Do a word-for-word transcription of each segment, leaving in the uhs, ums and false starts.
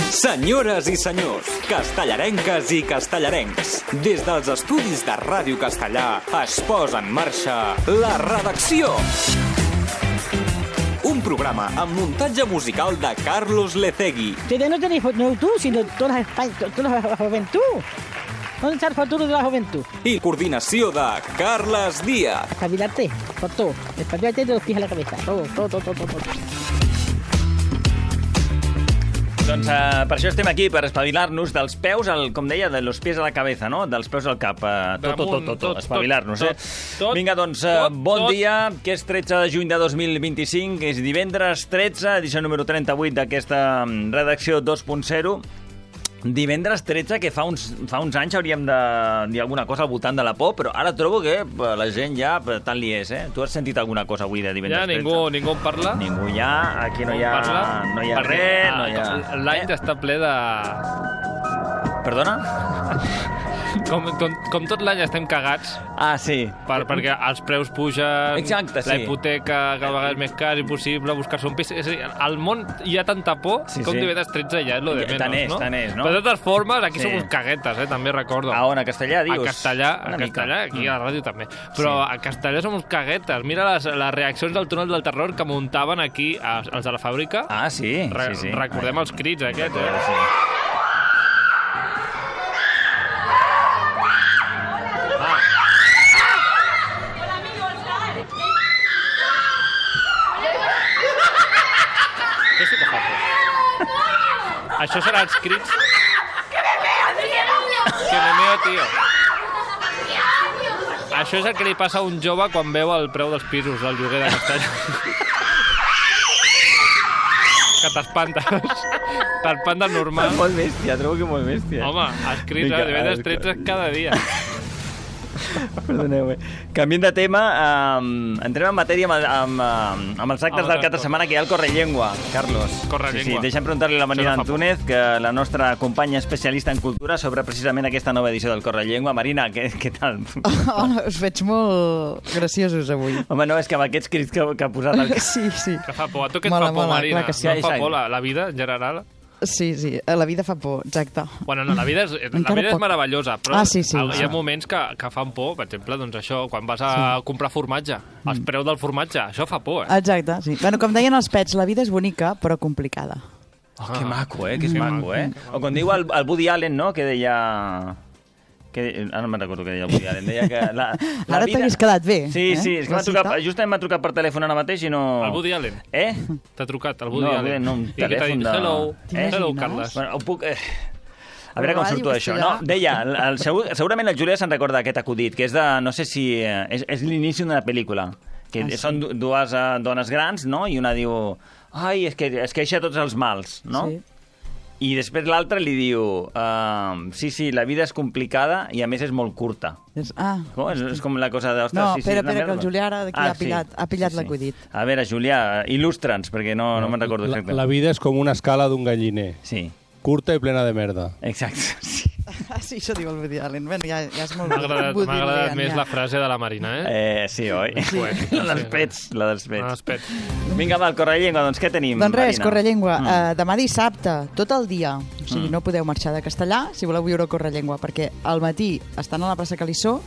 Senyores i senyors, castellarenques i castellarencs, des dels estudis de Ràdio Castellà es posa en marxa La Redacció. Un programa amb muntatge musical de Carlos Lecegui. Ustedes no tenéis no tú, sino toda la, toda la juventud. ¿Dónde está el futuro de la juventud? I coordinació de Carles Díaz. Espabilarte, por todo. Espabilarte de los pies a la cabeza. Todo, todo, todo, todo, todo. Doncs uh, per això estem aquí, per espavilar-nos dels peus, al, com deia, de los pies a la cabeza, no? Dels peus al cap. Uh, tot, tot, tot, tot, tot, espavilar-nos, eh? Tot, Vinga, doncs, uh, tot, bon tot. dia, que és tretze de juny de dos mil vint-i-cinc, és divendres tretze, edició número trenta-vuit d'aquesta redacció dos punt zero. Divendres tretze, que fa uns, fa uns anys hauríem de dir alguna cosa al voltant de la por, però ara trobo que la gent ja tant li és, eh? Tu has sentit alguna cosa avui de divendres Ja tretze? ningú, ningú en parla. Ningú ja, aquí no hi ha, parla, no hi ha perquè, res, no hi ha... ah, L'any està ple de... Perdona? Com, com, com tot l'any estem cagats, Ah, sí. per, perquè els preus pugen, Exacte, sí. la hipoteca cada vegada és més car, impossible buscar-se un pis. És a dir, al món hi ha tanta por Sí, com sí. divendres tretze ja és lo de Ja, menys, tant és, no? tant és, no? Però de totes formes, aquí Sí. som uns caguetes, eh? També recordo. A on? A Castellà, dius? A Castellà, a Una mica. Castellà, aquí a la ràdio també. Però Sí. a Castellà som uns caguetes. Mira les, les reaccions del túnel del terror que muntaven aquí a, els de la fàbrica. Ah, sí, Re sí, sí. Recordem Ai, els crits aquests, recordo, eh? sí. Això sí que fa por. Això serà els crits... Que me meo, tio. Això és el que li passa a un jove quan veu el preu dels pisos del lloguer de Castellà. Que t'espantes. T'espantes normal. Molt bèstia, trobo que molt bèstia. Home, els crits Vinga, de divendres ah, tretze cada dia. Perdoneu, eh? Canviem de tema, um, entrem en matèria amb, amb, amb, amb els actes Amb del el cap de setmana, que hi ha el Correllengua, Carlos. Correllengua. Sí, sí, deixa'm preguntar-li a la Marina Això no fa por. Antúnez, que la nostra companya especialista en cultura, sobre precisament aquesta nova edició del Correllengua. Marina, què, què tal? Hola, us veig molt graciosos avui. Home, no, és que amb aquests crits que, que ha posat el... Sí, sí. Que fa por. A tu què et Mola, fa por, mola, Marina? clar que sí. No et fa Exacte. por la, la vida, en general? Sí, sí, la vida fa por, exacte. Bueno, no, la vida és, la Encara vida és poc. meravellosa, però Ah, sí, sí, hi ha sí. moments que, que fan por. Per exemple, doncs això, quan vas a Sí. comprar formatge, els preus del formatge, això fa por, eh? Exacte, sí. Bueno, com deien els pets, la vida és bonica, però complicada. Oh, que maco, eh? Que és Que maco, eh? O com diu el, el Woody Allen, no?, que deia... Que, ara no me'n recordo què deia el Woody Allen. Deia que la, la Ara vida... t'hagués quedat bé. Sí, eh? sí, és que La m'ha trucat, cita. justament m'ha trucat per telèfon ara mateix i no... El Woody Allen. Eh? T'ha trucat, el Woody No, Allen. no, un I què t'ha telèfon dit? de- Hello, Eh? hello, T'imagines? Carles. Bueno, ho puc... Eh... A veure com Ràdio surto això. Castellà. No, deia, el, el, segur, segurament la Júlia se'n recorda d'aquest acudit, que és de, no sé si... eh, És, és l'inici d'una pel·lícula. Que Ah, sí? són du- dues uh, dones grans, no? I una diu... Ai, és que es queixa de tots els mals, no? Sí. I després l'altra li diu... Uh, sí, sí, la vida és complicada i a més és molt curta. És, ah, Com? És, és com la cosa de... ostres, no, sí, sí, espera, una espera, que merda. el Julià ara d'aquí Ah, ha pillat, ha pillat l'acudit. A veure, Julià, il·lustra'ns, perquè no, no me'n recordo La, exactament. la vida és com una escala d'un galliner, Sí, curta i plena de merda. exacte. Sí. Ah, sí, això diu el Woody Allen. Bueno, ja, ja és molt... M'ha agradat, Woody m'ha agradat Allen, més ja. la frase de la Marina, eh? Eh, sí, oi? Poètica, La dels sí. pets, la dels Ah, pets. espera. Vinga, va, el Correllengua, doncs què tenim, Doncs res, Marina? Correllengua. Mm. Uh, demà dissabte, tot el dia. O sigui, Mm. no podeu marxar de Castellà si voleu viure Correllengua, perquè al matí estan a la plaça Calissó,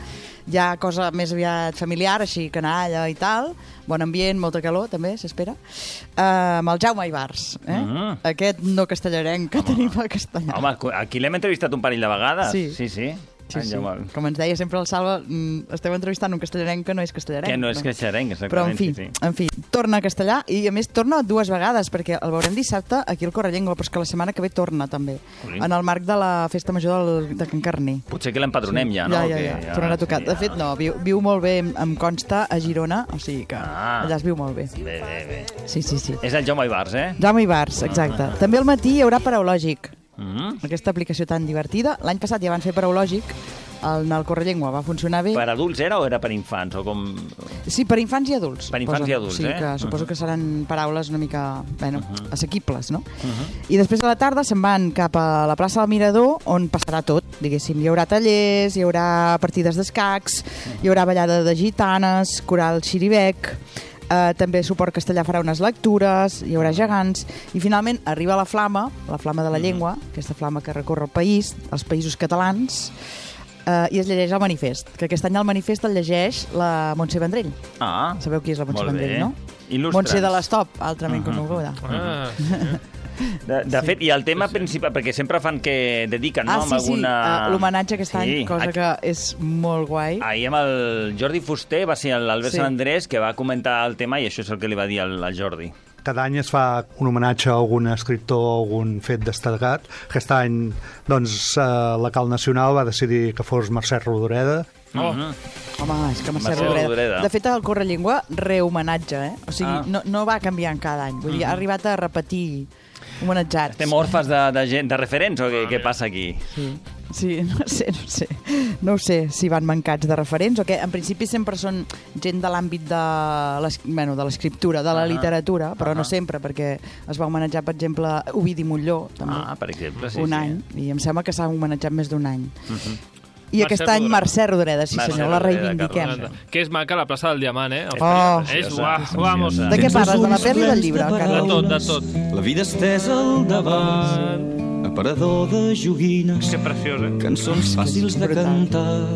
hi ha cosa més aviat familiar, així, canalla i tal, bon ambient, molta calor, també, s'espera, uh, amb el Jaume Ibars, eh? Mm. Aquest no castellarenc que tenim a Castellà. Home, aquí l'hem entrevistat un parell de vegades. Sí. Sí, sí. Sí, En sí. Jaume. Com ens deia sempre el Salva, mm, esteu entrevistant un castellarenc que no és castellarenc. Que no és castellarenc, exactament. Però, en fi, sí, sí. en fi, torna a Castellà i, a més, torna dues vegades, perquè el veurem dissabte aquí al Correllengua, però és que la setmana que ve torna, també, Jolín. en el marc de la Festa Major del, de Can Carni. Potser que l'empadronem ja, no? Ja, ja, Que ja, tornarà a tocar. sí, De fet, no, viu, viu molt bé, em, em consta, a Girona, o sigui que Ah. allà es viu molt bé. Bé, bé, bé. Sí, sí, sí. És el Jaume Ibars, eh? Jaume Ibars, exacte. També al matí hi haurà Paraulògic, Mm. aquesta aplicació tan divertida. L'any passat ja van fer Paraulògic, el, el Correllengua va funcionar bé. Per adults era o era per infants? O com... Sí, per infants i adults. Per infants i adults, sí, eh? que suposo Uh-huh. que seran paraules una mica, bueno, Uh-huh. assequibles, no? Uh-huh. I després a la tarda se'n van cap a la plaça del Mirador, on passarà tot, diguéssim. Hi haurà tallers, hi haurà partides d'escacs, hi haurà ballada de gitanes, coral xiribec, Uh, també Suport Castellà farà unes lectures, hi haurà gegants, i finalment arriba la flama, la flama de la llengua, aquesta flama que recorre el país, els països catalans, uh, i es llegeix el manifest, que aquest any el manifest el llegeix la Montse Vendrell. Ah, Sabeu qui és la Montse molt Vendrell, bé. no? Il·lustra'ns. Montse de l'Estop, altrament Uh-huh. coneguda. Ah, De, de fet, i el tema principal, perquè sempre fan que dediquen, no? Ah, amb sí, sí, alguna... uh, l'homenatge aquest Sí, any, cosa aquí- que és molt guai. Ahir amb el Jordi Fuster va ser l'Albert Sí. Sant Andrés que va comentar el tema i això és el que li va dir al, al Jordi. Cada any es fa un homenatge a algun escriptor o algun fet destacat. Aquest any, doncs, eh, la Cal Nacional va decidir que fos Mercè Rodoreda. oh. Home, és que Mercè Mercè Rodoreda. Rodoreda. De fet, el Correllengua rehomenatge, eh? O sigui, Ah. no, no va canviant cada any. Vull dir, ha arribat a repetir homenatjats. Estem orfes de, de, gent, de referents o què, què passa aquí? Sí. Sí, no sé, no sé. No ho sé si van mancats de referents o què. En principi sempre són gent de l'àmbit de l'es- bueno, de l'escriptura, de la Ah. literatura, però Ah. no sempre, perquè es va homenatjar, per exemple, Ovidi Molló, també, Ah, per exemple, sí, un sí. any, i em sembla que s'ha homenatjat més d'un any. I Mercè aquest any Rodoreda. Mercè Rodoreda, sí Mercè senyor, la Rodoreda, reivindiquem. Carles. Que és maca la plaça del Diamant, eh? Oh. És, Preciosa, uah, vamos. preciosa. De què parles? De la pel·li o del llibre, De Carles? tot, de tot. La vida estesa al davant, aparador de joguines, Que preciós, eh? cançons fàcils de cantar.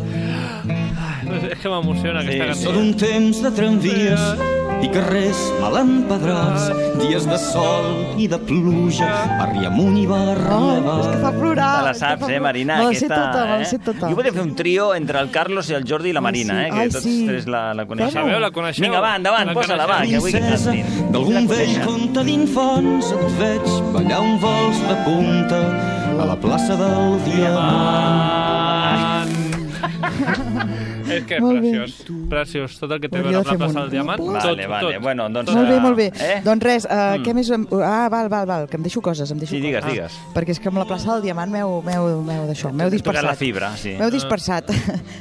És que m'emociona aquesta Sí, cançó. Tot un temps de tramvies i carrers mal empedrats, dies de sol i de pluja, barri amunt i barri Oh, avall. és que fa plorar. Te la és que saps, fa eh, plorar. Marina? Me la sé aquesta, tota, me la eh? sé tota. Jo podria fer un trio entre el Carlos i el Jordi i la Marina, eh? Que Ai, tots sí. tres la, la coneixeu. Sabeu, la coneixeu? Vinga, va, endavant, La posa-la, va, coneixeu? que vull que Princesa cantin. d'algun La vell coneixen. conte d'infants et veig ballar un vols de punta a la plaça del Diamant. És que és Molt bé. preciós. Preciós. Tot el que té a Hauria veure de amb la fer plaça un- del Diamant. un Tot, Vale, vale, tot. bueno, doncs... Molt bé, molt bé. Eh? Doncs res, uh, què més... em- Ah, val, val, val, que em deixo coses, em deixo Sí, digues, coses. digues. Perquè és que amb la plaça del Diamant m'heu m'heu- m'heu d'això, m'heu Tocat dispersat. la fibra, sí. M'heu dispersat.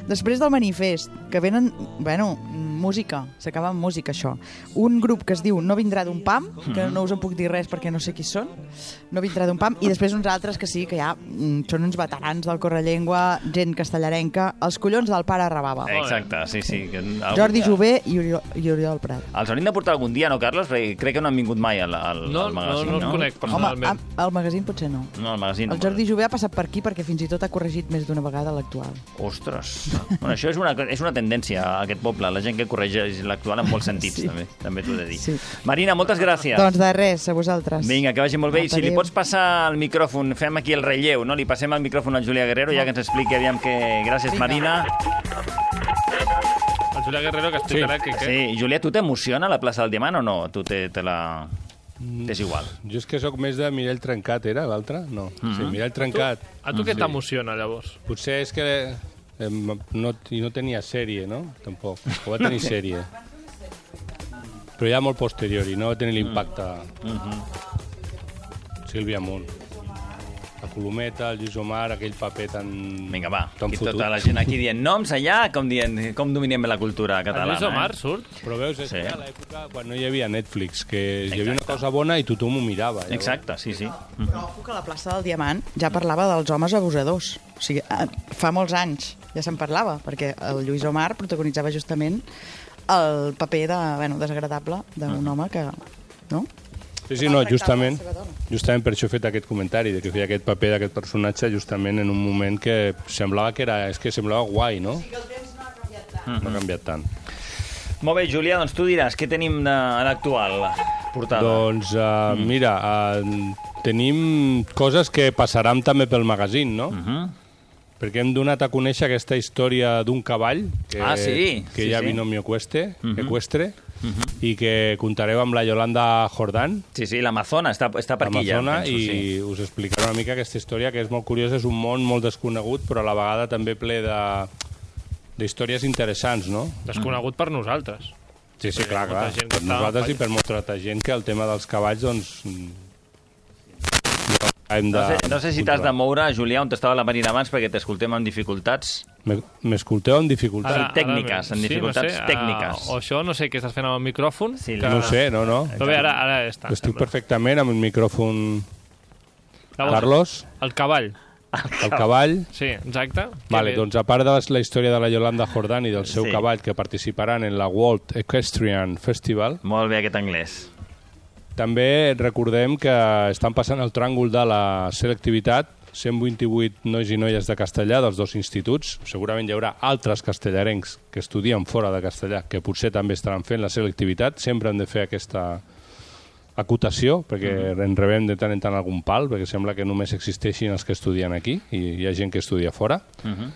Després del manifest, que venen, bueno, música, s'acaba amb música, això. Un grup que es diu No vindrà d'un pam, que no us en puc dir res perquè no sé qui són, No vindrà d'un pam, i després uns altres que sí, que ja mm, són uns veterans del Correllengua, gent castellarenca, els collons del pare Rabava. Exacte, sí, sí. Que algun Jordi dia- Jové i Oriol, i Oriol Prat. Els hauríem de portar algun dia, no, Carlos? Perquè crec que no han vingut mai al, al, No, al magazín, no, no els conec Home, personalment. a- al magazín potser no. No, al magazín. El Jordi Jové ha passat per aquí perquè fins i tot ha corregit més d'una vegada l'actual. Ostres. Bueno, això és una, és una tendència a aquest poble, la gent que corregeix l'actual en molts sentits, Sí. també, també t'ho he de dir. Sí. Marina, moltes gràcies. Doncs de res, a vosaltres. Vinga, que vagi molt bé. I si li Adéu. pots passar el micròfon, fem aquí el relleu, no? Li passem el micròfon al Julià Guerrero, ja que ens expliqui aviam que... Gràcies, Vinga. Marina. El Julià Guerrero que explicarà que... que... Sí, Julià, tu t'emociona la plaça del Diamant o no? Tu te, te la... T'és igual. Jo és que sóc més de Mirall Trencat, era l'altre? No. Sí, Mirall Trencat. A tu què t'emociona, llavors? Potser és que eh, no, i no tenia sèrie, no? Tampoc. O va tenir sèrie. Però ja molt posterior i no va tenir l'impacte. Sílvia Munt. La Colometa, el Lluís Omar, aquell paper tan... Vinga, va. tan Aquí fotut. tota la gent aquí dient noms allà, com dient com dominem la cultura El catalana. Lluís Omar eh? surt? Però veus, és Sí. sí. que a l'època quan no hi havia Netflix, que hi havia una Exacte. cosa bona i tothom ho mirava. Llavors. Exacte, sí, sí. Però ojo que la plaça del Diamant ja parlava dels homes abusadors. O sigui, eh, fa molts anys ja se'n parlava, perquè el Lluís Omar protagonitzava justament el paper de, bueno, desagradable d'un home que... No? Sí, sí, no, justament, justament per això he fet aquest comentari, de que feia aquest paper d'aquest personatge justament en un moment que semblava que era, és que semblava guai, no? Sí, que el temps no ha canviat tant. No ha canviat tant. Molt bé, Julià, doncs tu diràs, què tenim de, a l'actual portada? Doncs, uh, mm. mira, uh, tenim coses que passaran també pel magazín, no? Uh -huh. Perquè hem donat a conèixer aquesta història d'un cavall que, Ah, sí, que sí, hi ha sí. binomio equestre, Uh -huh. equestre Uh -huh. i que contareu amb la Yolanda Jordán, Sí, sí, l'Amazona està, està per aquí ja, Amazona, penso, i sí. us explicaré una mica aquesta història que és molt curiosa, és un món molt desconegut però a la vegada també ple de d'històries interessants, no? Desconegut per nosaltres. Sí, sí, Perquè clar, molta clar. gent que Per està nosaltres en i per molta altra gent que el tema dels cavalls, doncs... mm, hem de... No sé, no sé si t'has de moure, Julià, on estava la Marina abans, perquè t'escoltem amb dificultats. Me- M'escolteu amb dificultats? Ara- tècniques, en dificultats no sé, tècniques. Uh, o això, no sé què estàs fent amb el micròfon. Sí, que... No ho sé, no, no. Però bé, ara, ara ja està. Estic sembla. perfectament amb el micròfon... Llavors, Carlos? El cavall. El cavall. Sí, exacte. Vale, Que- doncs a part de la història de la Yolanda Jordán i del seu Sí. cavall que participaran en la World Equestrian Festival, Molt bé aquest anglès. també recordem que estan passant el tràngol de la selectivitat, cent vint-i-vuit nois i noies de castellà dels dos instituts. Segurament hi haurà altres castellarencs que estudien fora de castellà que potser també estaran fent la selectivitat. Sempre hem de fer aquesta acotació, perquè mm. en rebem de tant en tant algun pal, perquè sembla que només existeixin els que estudien aquí i hi ha gent que estudia fora. Uh -huh.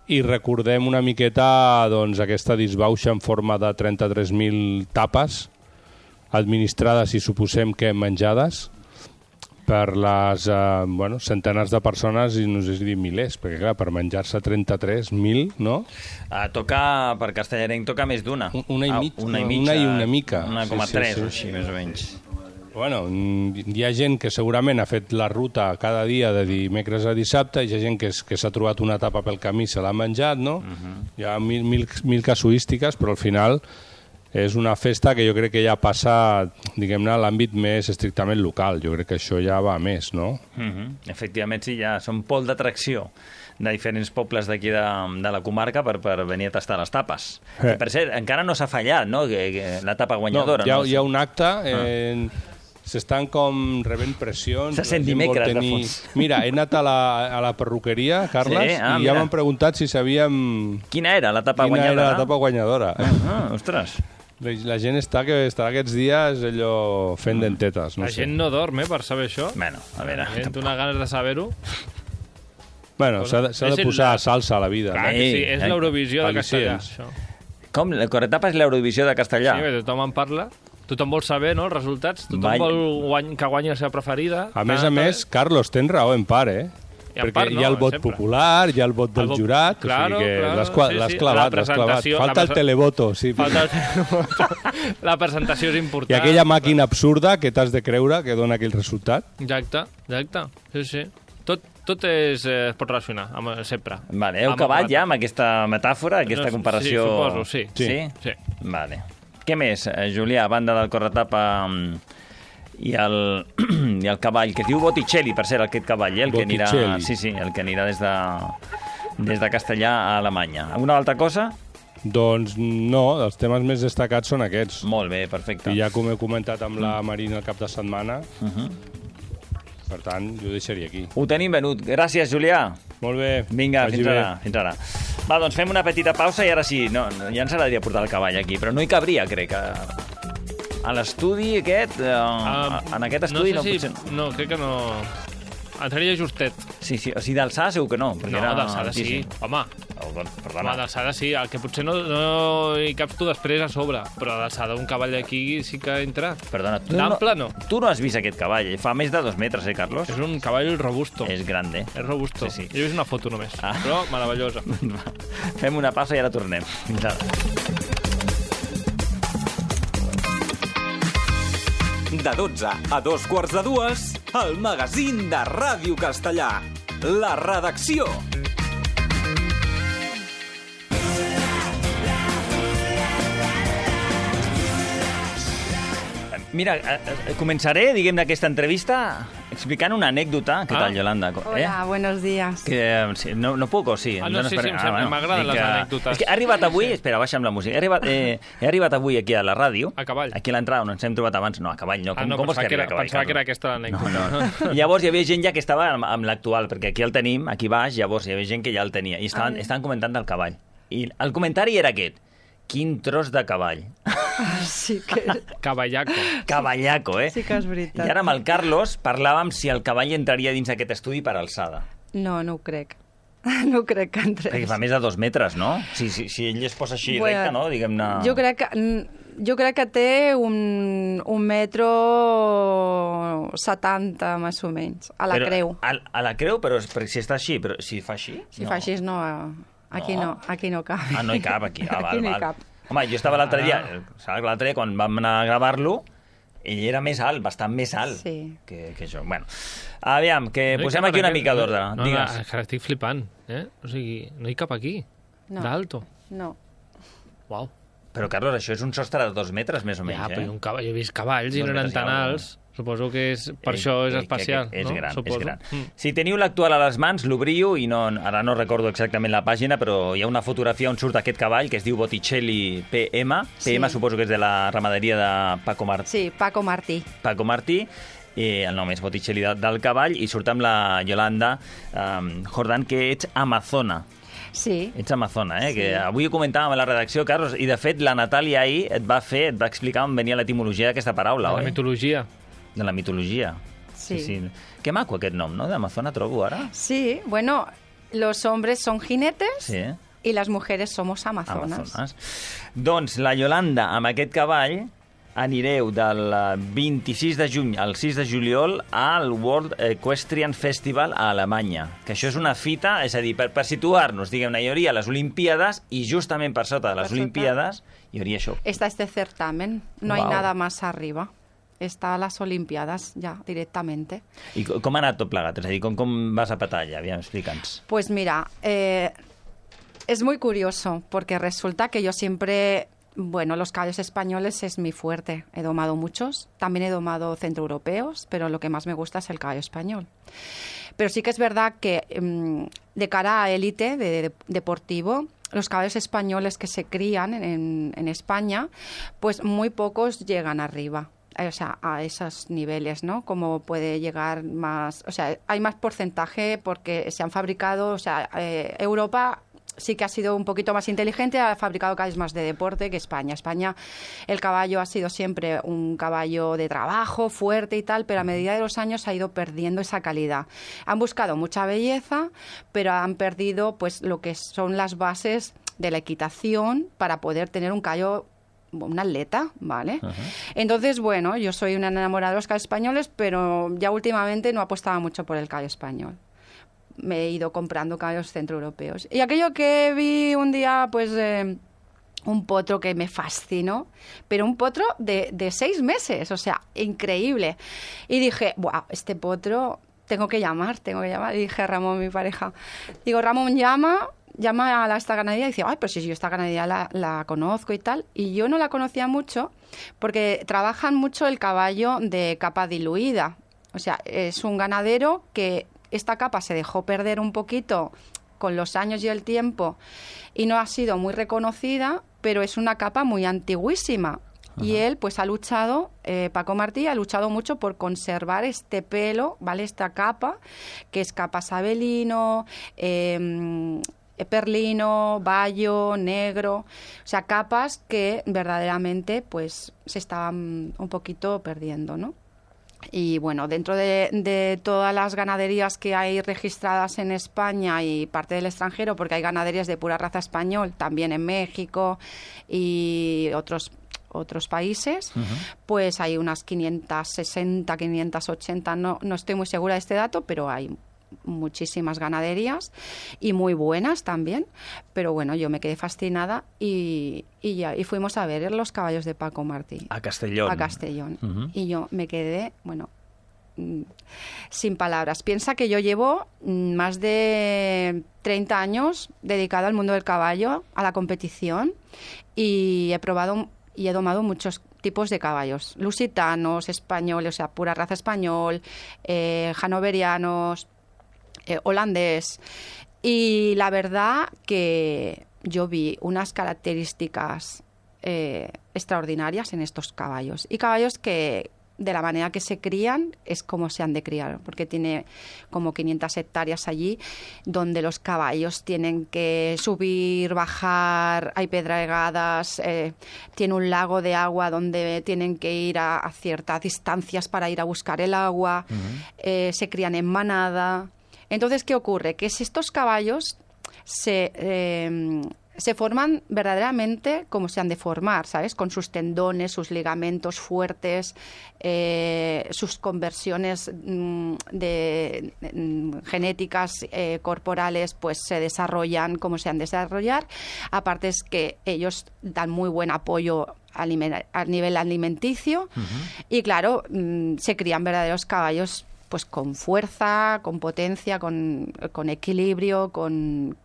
I recordem una miqueta doncs, aquesta disbauxa en forma de trenta-tres mil tapes administrades i suposem que menjades per les eh, bueno, centenars de persones i no sé si dir milers, perquè clar, per menjar-se trenta-tres mil, no? Uh, toca, per castellarenc, toca més d'una. Una i, mig, Ah, una i una mitja. i una mica. Una coma Sí, sí, tres sí. o així, més o menys. Bueno, hi ha gent que segurament ha fet la ruta cada dia de dimecres a dissabte i hi ha gent que, és, que s'ha trobat una tapa pel camí i se l'ha menjat, no? Uh -huh. Hi ha mil, mil, mil casuístiques, però al final és una festa que jo crec que ja passa, diguem-ne, a l'àmbit més estrictament local. Jo crec que això ja va a més, no? Uh -huh. Efectivament, sí, ja són pol d'atracció de diferents pobles d'aquí de, de la comarca per, per venir a tastar les tapes. Eh. I per cert, encara no s'ha fallat, no?, que, que la tapa guanyadora. No, hi ha, no? hi ha un acte... Eh, s'estan com rebent pressions. Se sent la gent vol dimecres, de tenir... fons. Mira, he anat a la, a la perruqueria, Carles, Sí? Ah, i mira. ja m'han preguntat si sabíem Quina era la tapa quina guanyadora? era la tapa guanyadora. Ah, ostres. La, la gent està que estarà aquests dies allò fent dentetes, no La sé. gent no dorm, eh, per saber això. Bueno, a veure... La gent té una ganes de saber-ho. Bueno, s'ha de, s'ha És de el- posar salsa a la vida. Clar no? que sí, és eh? l'Eurovisió de castellà, Al·licients. això. Com? La corretapa és l'Eurovisió de castellà? Sí, perquè tothom en parla. Tothom vol saber, no?, els resultats. Tothom Vai- vol guany, que guanyi la seva preferida. A més Tant, a més, Carlos, tens raó en part, eh? I en Perquè part hi ha el no, vot sempre. popular, hi ha el vot del El vot- jurat, Claro, o sigui que claro, l'has cla- sí, l'has sí. clavat, La l'has clavat. presentació- Falta la el presa- televoto, sí. Falta el... La presentació és important. I aquella màquina absurda que t'has de creure que dona aquell resultat. Exacte, exacte. Sí, sí. Tot, tot és, eh, es pot relacionar, amb, sempre. Vale, heu Amb acabat el- ja amb aquesta metàfora, aquesta No, comparació... sí, suposo, sí. Sí? Sí. Vale. Què més, eh, Julià, a banda del corretapa mm, i el, i el cavall, que es diu Botticelli, per cert, aquest cavall, eh, el que anirà, Botticelli. sí, sí, el que anirà des de, des de Castellà a Alemanya. Alguna altra cosa? Doncs no, els temes més destacats són aquests. Molt bé, perfecte. I ja com he comentat amb la Marina el cap de setmana, Uh -huh. per tant, jo ho deixaria aquí. Ho tenim venut. Gràcies, Julià. Molt bé. Vinga, vagi fins bé. ara, fins ara. Va, doncs fem una petita pausa i ara sí, no, no, ja ens agradaria portar el cavall aquí, però no hi cabria, crec, a, a l'estudi aquest, eh, Ah, en aquest estudi no, no sé potser... si... No, crec que no... Entraria justet. Sí, sí, o sigui, d'alçada segur que no. perquè No, era d'alçada sí. altíssim. Home, Oh, doncs, home perdona. d'alçada sí. El que potser no, no hi caps tu després a sobre. Però d'alçada un cavall d'aquí sí que entra. Perdona, tu D'ample no. Tu no has vist aquest cavall, fa més de dos metres, eh, Carlos? És un cavall robusto. És grande. És robusto. Sí, sí. Jo he vist una foto només, Ah. però meravellosa. Va, fem una pausa i ara tornem. Fins ara. De dotze a dos quarts de dues, el magazín de Ràdio Castellà. La redacció. Mira, eh, eh, començaré, diguem-ne, aquesta entrevista explicant una anècdota. Què Ah. tal, Yolanda? Hola, Eh? buenos días. Que, eh, sí, no, no puc, o sí? Ah, Em no, dones sí, per- sí, em sembla- m'agraden dic les que- anècdotes. És que he arribat Sí, avui... sí. Espera, baixa'm la música. He arribat, eh, he arribat avui aquí a la ràdio. A cavall. Aquí a l'entrada, on ens hem trobat abans. No, a cavall no. Com, Ah, no, com vols pensava, que arribi era, a cavall, pensava que era Carlos? aquesta l'anècdota. No, no. I llavors hi havia gent ja que estava amb, amb l'actual, perquè aquí el tenim, aquí baix, llavors hi havia gent que ja el tenia. I estaven, Ah. estaven comentant del cavall. I el comentari era aquest. Quin tros de cavall. Sí que, Cavallaco. Cavallaco, eh? sí que és veritat. I ara amb el Carlos parlàvem si el cavall entraria dins aquest estudi per alçada. No, no ho crec. No crec que entrés. Perquè fa més de dos metres, no? Si, si, si ell es posa així Bueno, recte, no? Diguem-ne... Jo crec que... Jo crec que té un, un metro setanta, més o menys, a la Però, creu. A, a la creu, però és- perquè si està així, però si fa així... Si fa així, no, aquí No. no, aquí no cap. Ah, no hi cap, aquí. Ah, Aquí val, no hi val. cap. Home, jo estava l'altre dia, saps, l'altre dia, quan vam anar a gravar-lo, ell era més alt, bastant més alt Sí. que, que jo. Bueno, aviam, que No hi posem cap aquí en una aquest- mica d'ordre. No, no, Digues. és que estic flipant, eh? O sigui, no hi cap aquí. No. D'alto. No. Uau. Però, Carlos, això és un sostre de dos metres, més o menys, Ja, però eh? un cavall, jo he vist cavalls i Dos no eren metres i tan alguna alts. Suposo que és, per això és especial, és no? gran, Suposo. és gran. Mm. Si teniu l'actual a les mans, l'obriu, i no, ara no recordo exactament la pàgina, però hi ha una fotografia on surt aquest cavall que es diu Botticelli P M. Sí. P M suposo que és de la ramaderia de Paco Martí. Sí, Paco Martí. Paco Martí. Eh, el nom és Botticelli de, del cavall, i surt amb la Yolanda um, Jordán, que ets amazona. Sí. Ets amazona, eh? Sí. Que avui ho comentàvem a la redacció, Carlos, i de fet la Natàlia ahir et va fer, et va explicar on venia l'etimologia d'aquesta paraula, La oi? mitologia. De la mitologia. Sí. sí. Que maco aquest nom, no? D'amazona trobo ara. Sí, bueno, los hombres son jinetes Sí. y las mujeres somos amazonas. Amazones. Doncs la Yolanda, amb aquest cavall, anireu del vint-i-sis de juny al sis de juliol al World Equestrian Festival a Alemanya, que això és una fita, és a dir, per, per situar-nos, diguem-ne, hi hauria les Olimpíades i justament per sota de les Per sota. Olimpíades hi hauria això. Está este certamen, no hay Wow. nada más arriba. Está a las Olimpiadas ya directamente. I co- com ha anat tot plegat? És a dir, com, com vas a petar allà? Aviam, explica'ns. Pues mira, eh, es muy curioso porque resulta que yo siempre, bueno, los caballos españoles es mi fuerte. He domado muchos, también he domado centroeuropeos, pero lo que más me gusta es el caballo español. Pero sí que es verdad que mm, de cara a élite de, de- deportivo, los caballos españoles que se crían en, en España, pues muy pocos llegan arriba. eh, O sea, a esos niveles, ¿no? Como puede llegar más... O sea, hay más porcentaje porque se han fabricado... O sea, eh, Europa sí que ha sido un poquito más inteligente, ha fabricado caballos más de deporte que España. España, el caballo ha sido siempre un caballo de trabajo, fuerte y tal, pero a medida de los años ha ido perdiendo esa calidad. Han buscado mucha belleza, pero han perdido pues lo que son las bases de la equitación para poder tener un caballo, un atleta, ¿vale? Ajá. Entonces, bueno, yo soy una enamorada de los caballos españoles, pero ya últimamente no apostaba mucho por el caballo español. Me he ido comprando caballos centroeuropeos. Y aquello que vi un día, pues, eh, un potro que me fascinó, pero un potro de, de seis meses, o sea, increíble. Y dije, ¡buah! Este potro tengo que llamar, tengo que llamar. Y dije a Ramón, mi pareja, digo, Ramón, llama... llama a la, esta ganadería y dice, ay, pero si yo esta ganadería la, la conozco y tal. Y yo no la conocía mucho porque trabajan mucho el caballo de capa diluida. O sea, es un ganadero que esta capa se dejó perder un poquito con los años y el tiempo y no ha sido muy reconocida, pero es una capa muy antiguísima. Ajá. Y él, pues, ha luchado, eh, Paco Martí ha luchado mucho por conservar este pelo, ¿vale? Esta capa, que es capa sabelino, eh, perlino, bayo, negro, o sea, capas que verdaderamente pues se estaban un poquito perdiendo, ¿no? Y bueno, dentro de, de todas las ganaderías que hay registradas en España y parte del extranjero, porque hay ganaderías de pura raza español, también en México y otros otros países, uh-huh. pues hay unas quinientas sesenta, quinientas ochenta, no, no estoy muy segura de este dato, pero hay muchísimas ganaderías y muy buenas también, pero bueno, yo me quedé fascinada y, y ya y fuimos a ver los caballos de Paco Martí a Castellón, a Castellón. Uh-huh. Y yo me quedé, bueno, sin palabras. Piensa que yo llevo más de treinta años dedicada al mundo del caballo, a la competición, y he probado y he domado muchos tipos de caballos, lusitanos, españoles, o sea, pura raza español, eh, hanoverianos, Eh, holandés, y la verdad que yo vi unas características eh, extraordinarias en estos caballos, y caballos que de la manera que se crían es como se han de criar, porque tiene como quinientas hectáreas allí donde los caballos tienen que subir, bajar, hay pedregadas, eh, tiene un lago de agua donde tienen que ir a, a ciertas distancias para ir a buscar el agua, uh-huh. eh, se crían en manada. Entonces, ¿qué ocurre? Que si estos caballos se, eh, se forman verdaderamente como se han de formar, ¿sabes? Con sus tendones, sus ligamentos fuertes, eh, sus conversiones mm, de, de, genéticas eh, corporales, pues se desarrollan como se han de desarrollar. Aparte es que ellos dan muy buen apoyo a nivel alimenticio, uh-huh. y claro, mm, se crían verdaderos caballos pues con fuerza, con potencia, con, con equilibrio, con,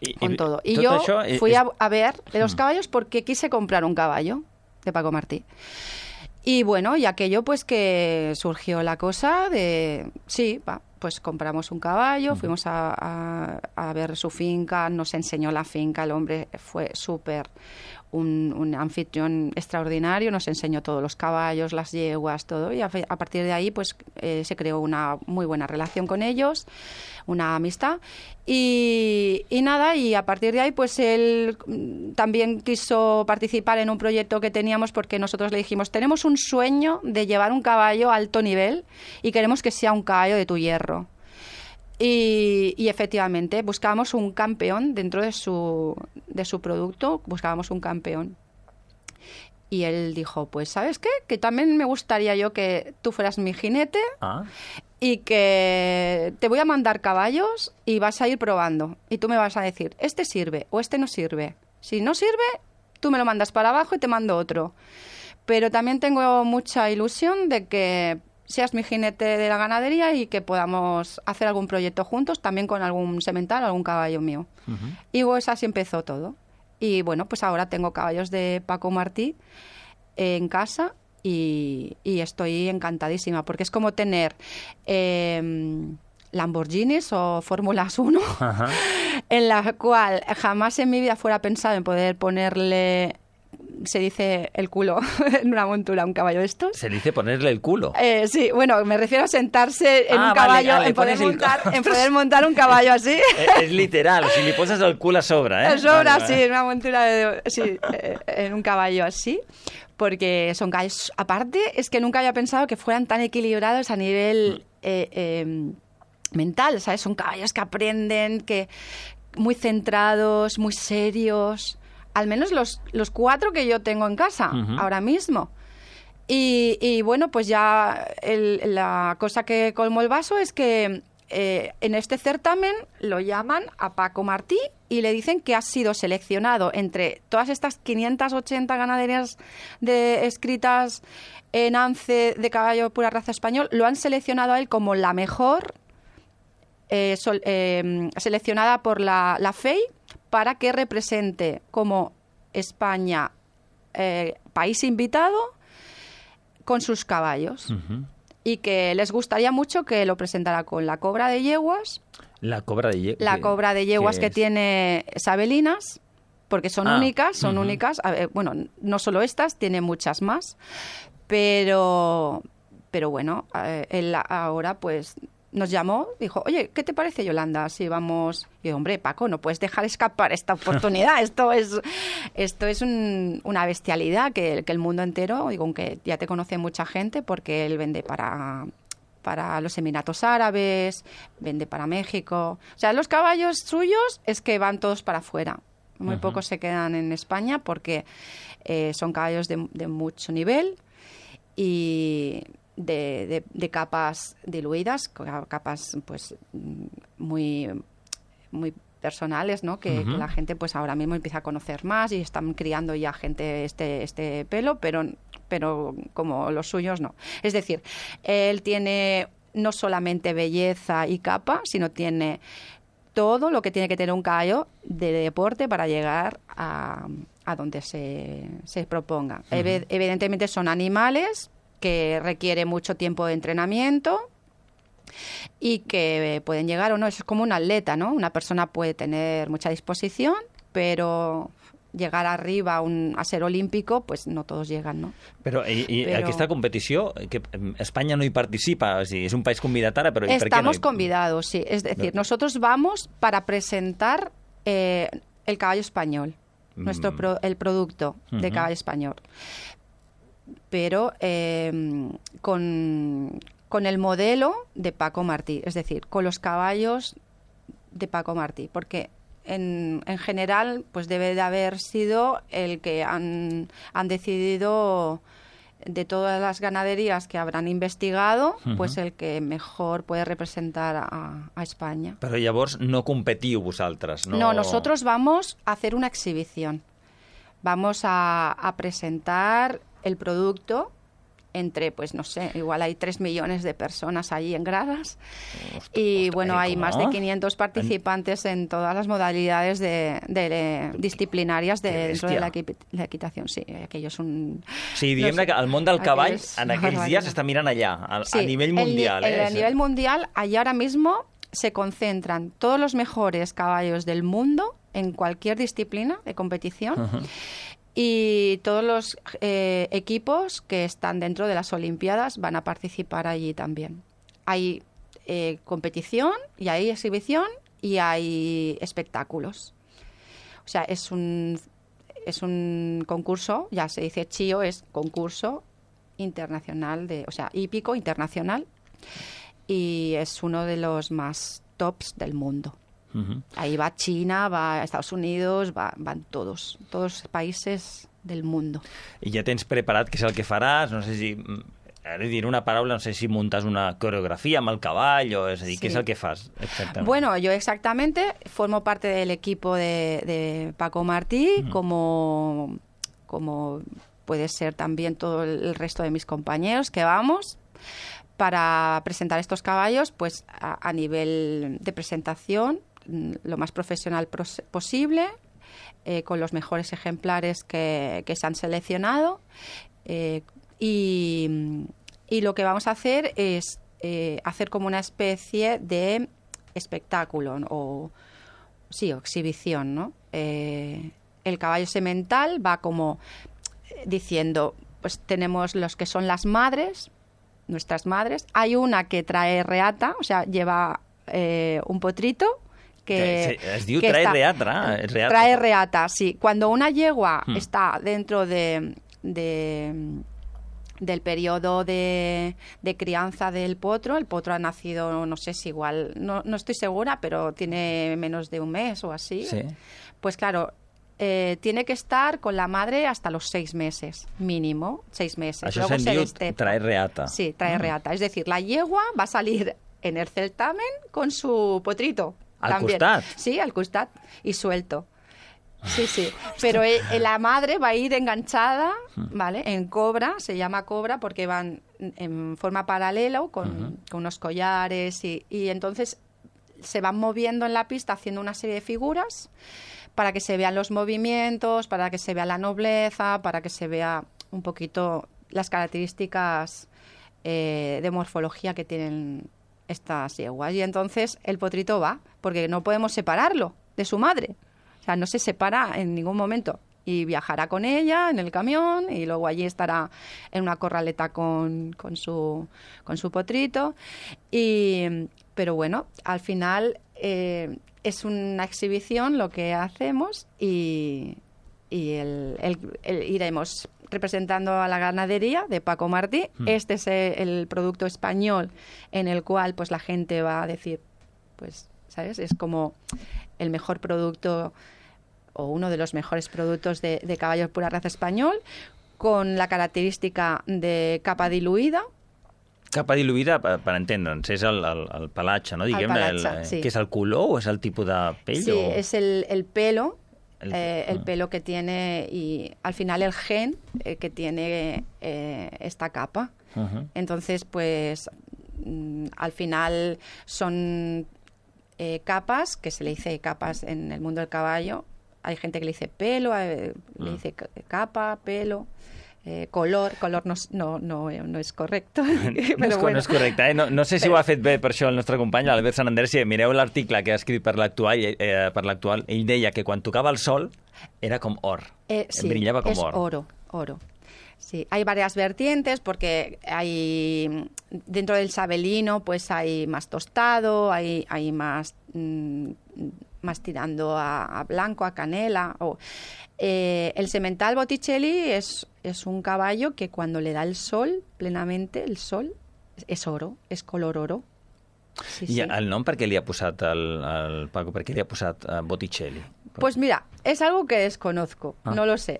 I, con todo. Y yo fui a, a ver los caballos porque quise comprar un caballo de Paco Martí. Y bueno, y aquello pues que surgió la cosa de, sí, va, pues compramos un caballo, fuimos a, a, a ver su finca, nos enseñó la finca, el hombre fue súper... Un, un anfitrión extraordinario, nos enseñó todos los caballos, las yeguas, todo, y a, a partir de ahí pues eh, se creó una muy buena relación con ellos, una amistad, y, y nada, y a partir de ahí pues él también quiso participar en un proyecto que teníamos, porque nosotros le dijimos, tenemos un sueño de llevar un caballo a alto nivel y queremos que sea un caballo de tu hierro. Y, y efectivamente buscábamos un campeón dentro de su, de su producto, buscábamos un campeón. Y él dijo, pues ¿sabes qué? Que también me gustaría yo que tú fueras mi jinete Ah. y que te voy a mandar caballos y vas a ir probando. Y tú me vas a decir, este sirve o este no sirve. Si no sirve, tú me lo mandas para abajo y te mando otro. Pero también tengo mucha ilusión de que seas mi jinete de la ganadería y que podamos hacer algún proyecto juntos, también con algún semental, algún caballo mío. Uh-huh. Y pues así empezó todo. Y bueno, pues ahora tengo caballos de Paco Martí en casa y, y estoy encantadísima, porque es como tener eh, Lamborghinis o Fórmulas uno, uh-huh. en la cual jamás en mi vida fuera pensado en poder ponerle... Se dice el culo en una montura a un caballo de estos. ¿Se dice ponerle el culo? Eh, sí, bueno, me refiero a sentarse en ah, un caballo, vale, vale, en, poder el... montar, en poder montar un caballo así. Es, es literal, si le pones el culo a sobra, ¿eh? Sobra, vale, sí, vale. en una montura, de, sí, eh, en un caballo así. Porque son caballos... Aparte, es que nunca había pensado que fueran tan equilibrados a nivel eh, eh, mental, ¿sabes? Son caballos que aprenden, que muy centrados, muy serios... Al menos los, los cuatro que yo tengo en casa uh-huh. ahora mismo. Y, y bueno, pues ya el, la cosa que colmó el vaso es que eh, en este certamen lo llaman a Paco Martí y le dicen que ha sido seleccionado entre todas estas quinientas ochenta ganaderías de, escritas en A N C E de caballo pura raza español. Lo han seleccionado a él como la mejor, eh, sol, eh, seleccionada por la, la F E I, para que represente como España eh, país invitado con sus caballos. Uh-huh. Y que les gustaría mucho que lo presentara con la cobra de yeguas. La cobra de yeguas. La cobra de yeguas que es? tiene sabelinas, porque son ah, únicas, son uh-huh. únicas. A ver, bueno, no solo estas, tiene muchas más. Pero, pero bueno, eh, él ahora pues... nos llamó, dijo, oye, ¿qué te parece, Yolanda? Si vamos... Y yo, hombre, Paco, no puedes dejar escapar esta oportunidad. Esto es esto es un, una bestialidad que, que el mundo entero, digo, aunque ya te conoce mucha gente, porque él vende para, para los Emiratos Árabes, vende para México. O sea, los caballos suyos es que van todos para afuera. Muy uh-huh. pocos se quedan en España porque eh, son caballos de, de mucho nivel y... De, de, de capas diluidas, capas pues muy muy personales, ¿no? Que, uh-huh. que la gente pues ahora mismo empieza a conocer más y están criando ya gente este este pelo, pero pero como los suyos no. Es decir, él tiene no solamente belleza y capa, sino tiene todo lo que tiene que tener un caballo de deporte para llegar a, a donde se, se proponga. Uh-huh. Ev- evidentemente son animales que requiere mucho tiempo de entrenamiento y que pueden llegar o no. Es como un atleta, ¿no? Una persona puede tener mucha disposición, pero llegar arriba a, un, a ser olímpico, pues no todos llegan, ¿no? Però i, i però... aquesta competició, que Espanya no hi participa, o sigui, és un país convidat ara, però Estamos ¿per qué no hi... convidados, sí. Es decir, no. nosotros vamos para presentar eh, el caballo español, mm. nuestro pro, el producto uh-huh. de caballo español. Pero eh, con, con el modelo de Paco Martí, es decir, con los caballos de Paco Martí, porque en, en general pues debe de haber sido el que han, han decidido de todas las ganaderías que habrán investigado, uh-huh. pues el que mejor puede representar a, a España. Però llavors no competiu vosaltres, no? No, nosotros vamos a hacer una exhibición. Vamos a, a presentar el producto entre, pues no sé, igual hay tres millones de personas allí en gradas. Ostras, y bueno, hay más de quinientos participantes en todas las modalidades de, de, de disciplinarias de, dentro de la, equi la equitación. Sí, aquello es un... Sí, diguem no sé, que el món del cavall en aquells dies s'està mirant allà, a, sí, a nivell mundial. El, eh? A nivel mundial, allí ahora mismo se concentran todos los mejores caballos del mundo en cualquier disciplina de competición. Uh-huh. Y todos los eh, equipos que están dentro de las Olimpiadas van a participar allí también. Hay eh, competición y hay exhibición y hay espectáculos. O sea, es un, es un concurso, ya se dice CHIO, es concurso internacional, de, o sea, hípico internacional, y es uno de los más tops del mundo. Uh-huh. Ahí va China, va Estados Unidos, va, van todos, todos los países del mundo. I ja tens preparat què és el que faràs, no sé si... Ara diré una paraula, no sé si muntas una coreografía amb el cavall, o és a dir, sí. ¿Qué es el que fas exactamente? Bueno, yo exactamente formo parte del equipo de, de Paco Martí, uh-huh. como, como puede ser también todo el resto de mis compañeros que vamos para presentar estos caballos, pues a, a nivel de presentación, lo más profesional posible, eh, con los mejores ejemplares que, que se han seleccionado, eh, y, y lo que vamos a hacer es eh, hacer como una especie de espectáculo, ¿no? o sí, o exhibición, ¿no? Eh, el caballo semental va como diciendo, pues tenemos los que son las madres, nuestras madres, hay una que trae reata, o sea, lleva eh, un potrito, que, que es diu trae está, reata, reata. Trae reata, sí. Cuando una yegua hmm. está dentro de, de del periodo de, de crianza del potro, el potro ha nacido, no sé si igual, no, no estoy segura, pero tiene menos de un mes o así, sí. Pues claro, eh, tiene que estar con la madre hasta los seis meses, mínimo, seis meses. Això se'n diu trae reata. Sí, trae mm. reata. Es decir, la yegua va a salir en el certamen con su potrito. Al también. costat. Sí, al costat y suelto. Sí, sí. Pero eh, la madre va a ir enganchada, ¿vale? En cobra, se llama cobra porque van en forma paralela con, uh-huh. con unos collares y, y entonces se van moviendo en la pista haciendo una serie de figuras para que se vean los movimientos, para que se vea la nobleza, para que se vea un poquito las características eh, de morfología que tienen estas yeguas. Y entonces el potrito va, porque no podemos separarlo de su madre. O sea, no se separa en ningún momento. Y viajará con ella en el camión y luego allí estará en una corraleta con, con, su, con su potrito. Y, pero bueno, al final eh, es una exhibición lo que hacemos y, y el, el, el, iremos representando a la ganadería de Paco Martí. Mm. Este es el producto español en el cual pues la gente va a decir, pues, ¿sabes? Es como el mejor producto o uno de los mejores productos de, de caballo de pura raza español, con la característica de capa diluïda. Capa diluïda, per, per entendre'ns, és el, el, el pelatge, no? Diguem, el pelatge, el, sí. ¿Qué és el color o és el tipus de pell? Sí, o... es el, el pelo, el, eh, el pelo que tiene y al final el gen eh, que tiene eh, esta capa. Uh-huh. Entonces, pues, mm, al final son eh, capas, que se le dice capas en el mundo del caballo. Hay gente que le dice pelo, eh, mm. le dice capa, pelo, eh, color. Color no, no, no, no és correcte. no, és, bueno. no és correcte, eh? No, no sé si però... ho ha fet bé per això el nostre company, l'Albert Sant Andrés. Si mireu l'article que ha escrit per l'Actual, eh, per l'Actual, ell deia que quan tocava el sol era com or, eh, sí, brillava com és or. oro, oro. Sí, hay varias vertientes porque hay dentro del sabelino pues hay más tostado, hay, hay más, mmm, más tirando a, a blanco, a canela. O, eh, el semental Botticelli es, es un caballo que cuando le da el sol, plenamente el sol, es oro, es color oro. Sí, I sí. el nom per què li ha posat el, el Paco, per què li ha posat uh, Botticelli? Pues mira, es algo que desconozco, ah. no lo sé.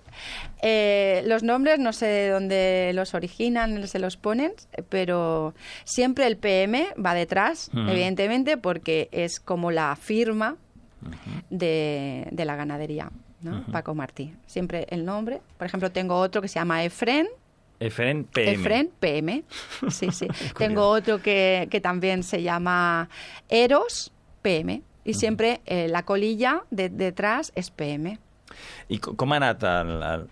Eh, los nombres no sé de dónde los originan, se los ponen, pero siempre el P M va detrás, uh-huh. evidentemente, porque es como la firma uh-huh. de, de la ganadería, ¿no? Uh-huh. Paco Martí. Siempre el nombre. Por ejemplo, tengo otro que se llama Efren, Efren P M. Efren P M, sí, sí. Tengo otro que, que también se llama Eros P M, y siempre eh, la colilla de, detrás es P M. I com ha anat el, el,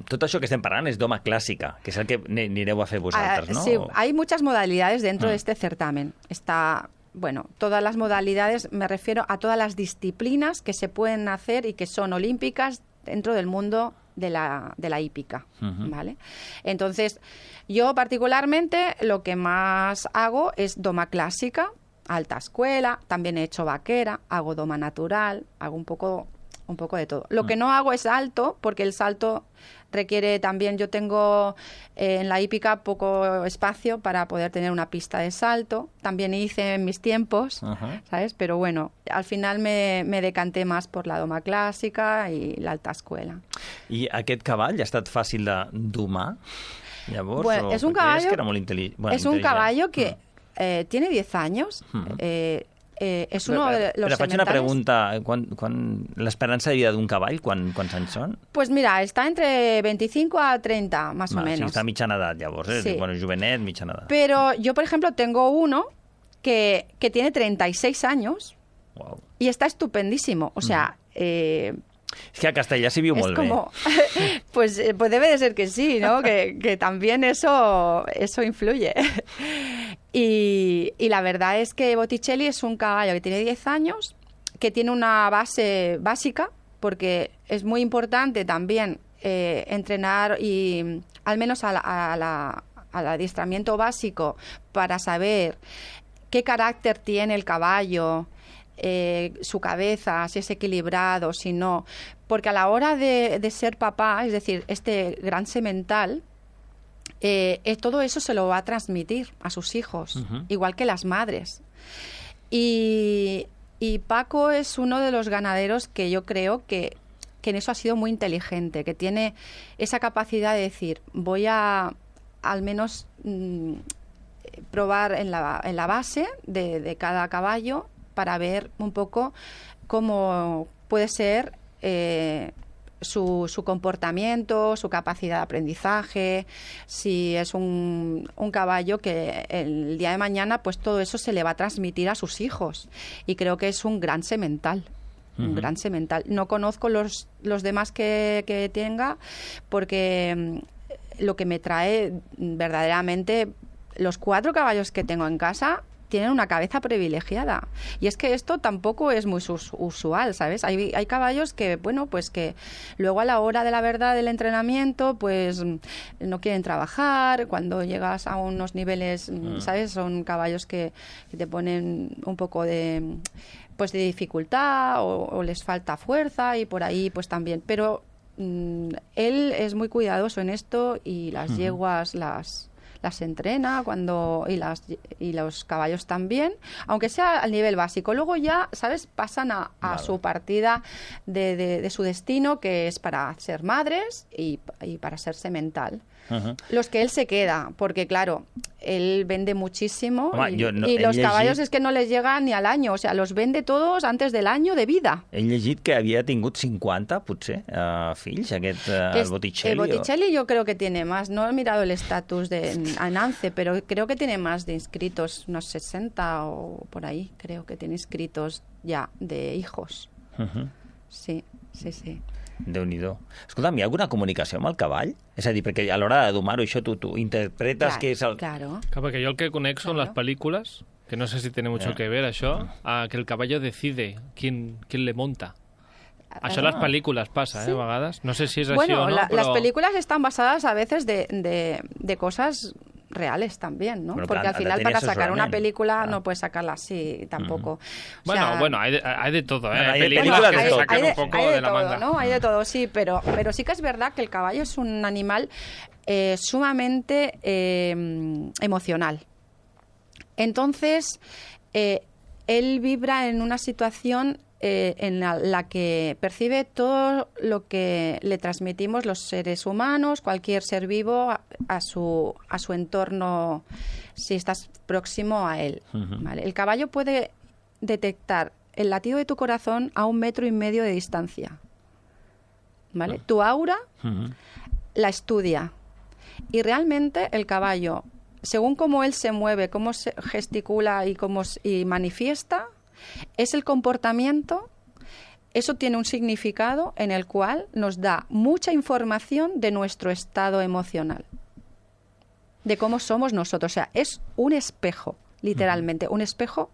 tot això que estem parlant és d'home clàssica, que és el que anireu a fer vosaltres, uh, ¿no? Sí, hay muchas modalidades dentro mm. de este certamen. Está, bueno, todas las modalidades, me refiero a todas las disciplinas que se pueden hacer y que son olímpicas dentro del mundo de la, de la hípica, uh-huh. ¿vale? Entonces, yo particularmente lo que más hago es doma clásica, alta escuela, también he hecho vaquera, hago doma natural, hago un poco... un poco de todo. Lo que no hago es salto, porque el salto requiere también, yo tengo eh, en la hípica poco espacio para poder tener una pista de salto. También hice en mis tiempos, uh-huh. ¿sabes? Pero bueno, al final me, me decanté más por la doma clàssica i l'alta escuela. I aquest cavall ha estat fàcil de domar? Llavors, bueno, o... es un caballo, que era molt intel·ligent. Bueno, es un caballo que eh, tiene diez años, uh-huh. eh, Eh, és uno de los Però faig sementales. una pregunta. Quan, quan, l'esperança de vida d'un cavall, quan, quants anys són? Pues mira, está entre veinticinco a treinta, más Va, o menos. Sí, està a mitjana edat, llavors. Eh? Sí. Bueno, jovenet, mitjana edat. Pero yo, por ejemplo, tengo uno que, que tiene treinta y seis años wow. y está estupendísimo. O sea... Mm. Eh, es que a Castellà s'hi viu es molt como, bé. pues, pues debe de ser que sí, ¿no? que, que también eso, eso influye. Y, y la verdad es que Botticelli es un caballo que tiene diez años, que tiene una base básica, porque es muy importante también eh, entrenar y al menos a la, a la, al adiestramiento básico para saber qué carácter tiene el caballo, Eh, su cabeza, si es equilibrado, si no. Porque a la hora de, de ser papá, es decir, este gran semental, eh, eh, todo eso se lo va a transmitir a sus hijos, uh-huh. igual que las madres. Y, y Paco es uno de los ganaderos que yo creo que, que en eso ha sido muy inteligente, que tiene esa capacidad de decir, voy a al menos mmm, probar en la, en la base de, de cada caballo para ver un poco cómo puede ser eh, su, su comportamiento, su capacidad de aprendizaje, si es un, un caballo que el día de mañana pues todo eso se le va a transmitir a sus hijos. Y creo que es un gran semental. Uh-huh. Un gran semental. No conozco los, los demás que, que tenga porque lo que me trae verdaderamente, los cuatro caballos que tengo en casa tienen una cabeza privilegiada. Y es que esto tampoco es muy usual, ¿sabes? Hay, hay caballos que, bueno, pues que luego a la hora de la verdad del entrenamiento, pues no quieren trabajar. Cuando llegas a unos niveles, mm. ¿sabes? Son caballos que, que te ponen un poco de, pues de dificultad o, o les falta fuerza y por ahí pues también. Pero mm, él es muy cuidadoso en esto y las uh-huh. yeguas las... las entrena cuando y las y los caballos también, aunque sea al nivel básico. Luego ya, ¿sabes? Pasan a, a vale. su partida de, de, de su destino, que es para ser madres y, y para ser semental. Uh-huh. Los que él se queda, porque claro, él vende muchísimo. Home, y, no, y los llegit... caballos es que no les llegan ni al año, o sea, los vende todos antes del año de vida. He llegit que havia tingut cinquanta, potser, uh, fills, aquest uh, es, Botticelli. El Botticelli o... yo creo que tiene más, no he mirado el estatus de Anance, pero creo que tiene más de inscritos, unos sesenta o por ahí, creo que tiene inscritos ya de hijos. Uh-huh. Sí, sí, sí. Déu-n'hi-do. Escolta'm, hi ha alguna comunicació amb el cavall? És a dir, perquè a l'hora de domar-ho, això tu, tu interpretes claro, que és el... Claro. Claro, porque yo el que conexo claro. en las películas, que no sé si tiene mucho yeah. que ver això, yeah. que el caballo decide quién, quién le monta. Això a las películas pasa, sí. ¿eh? A vegades. No sé si es así bueno, o no, la, pero... las películas están basadas a veces de, de, de cosas reales también, ¿no? Bueno, porque al final para sacar una película ah. no puedes sacarla así tampoco. Mm. O sea, bueno, bueno, hay de, hay de todo, ¿eh? Bueno, hay películas películas que se sacan hay de, un poco hay de, de la todo, manga. ¿no? Hay de todo, sí, pero, pero sí que es verdad que el caballo es un animal eh, sumamente eh, emocional. Entonces, eh, él vibra en una situación Eh, en la, la que percibe todo lo que le transmitimos los seres humanos, cualquier ser vivo, a, a, su, a su entorno, si estás próximo a él. Uh-huh. ¿Vale? El caballo puede detectar el latido de tu corazón a un metro y medio de distancia. ¿Vale? Uh-huh. Tu aura uh-huh. la estudia. Y realmente el caballo, según cómo él se mueve, cómo se gesticula y cómo y manifiesta, es el comportamiento. Eso tiene un significado en el cual nos da mucha información de nuestro estado emocional, de cómo somos nosotros. O sea, es un espejo, literalmente, un espejo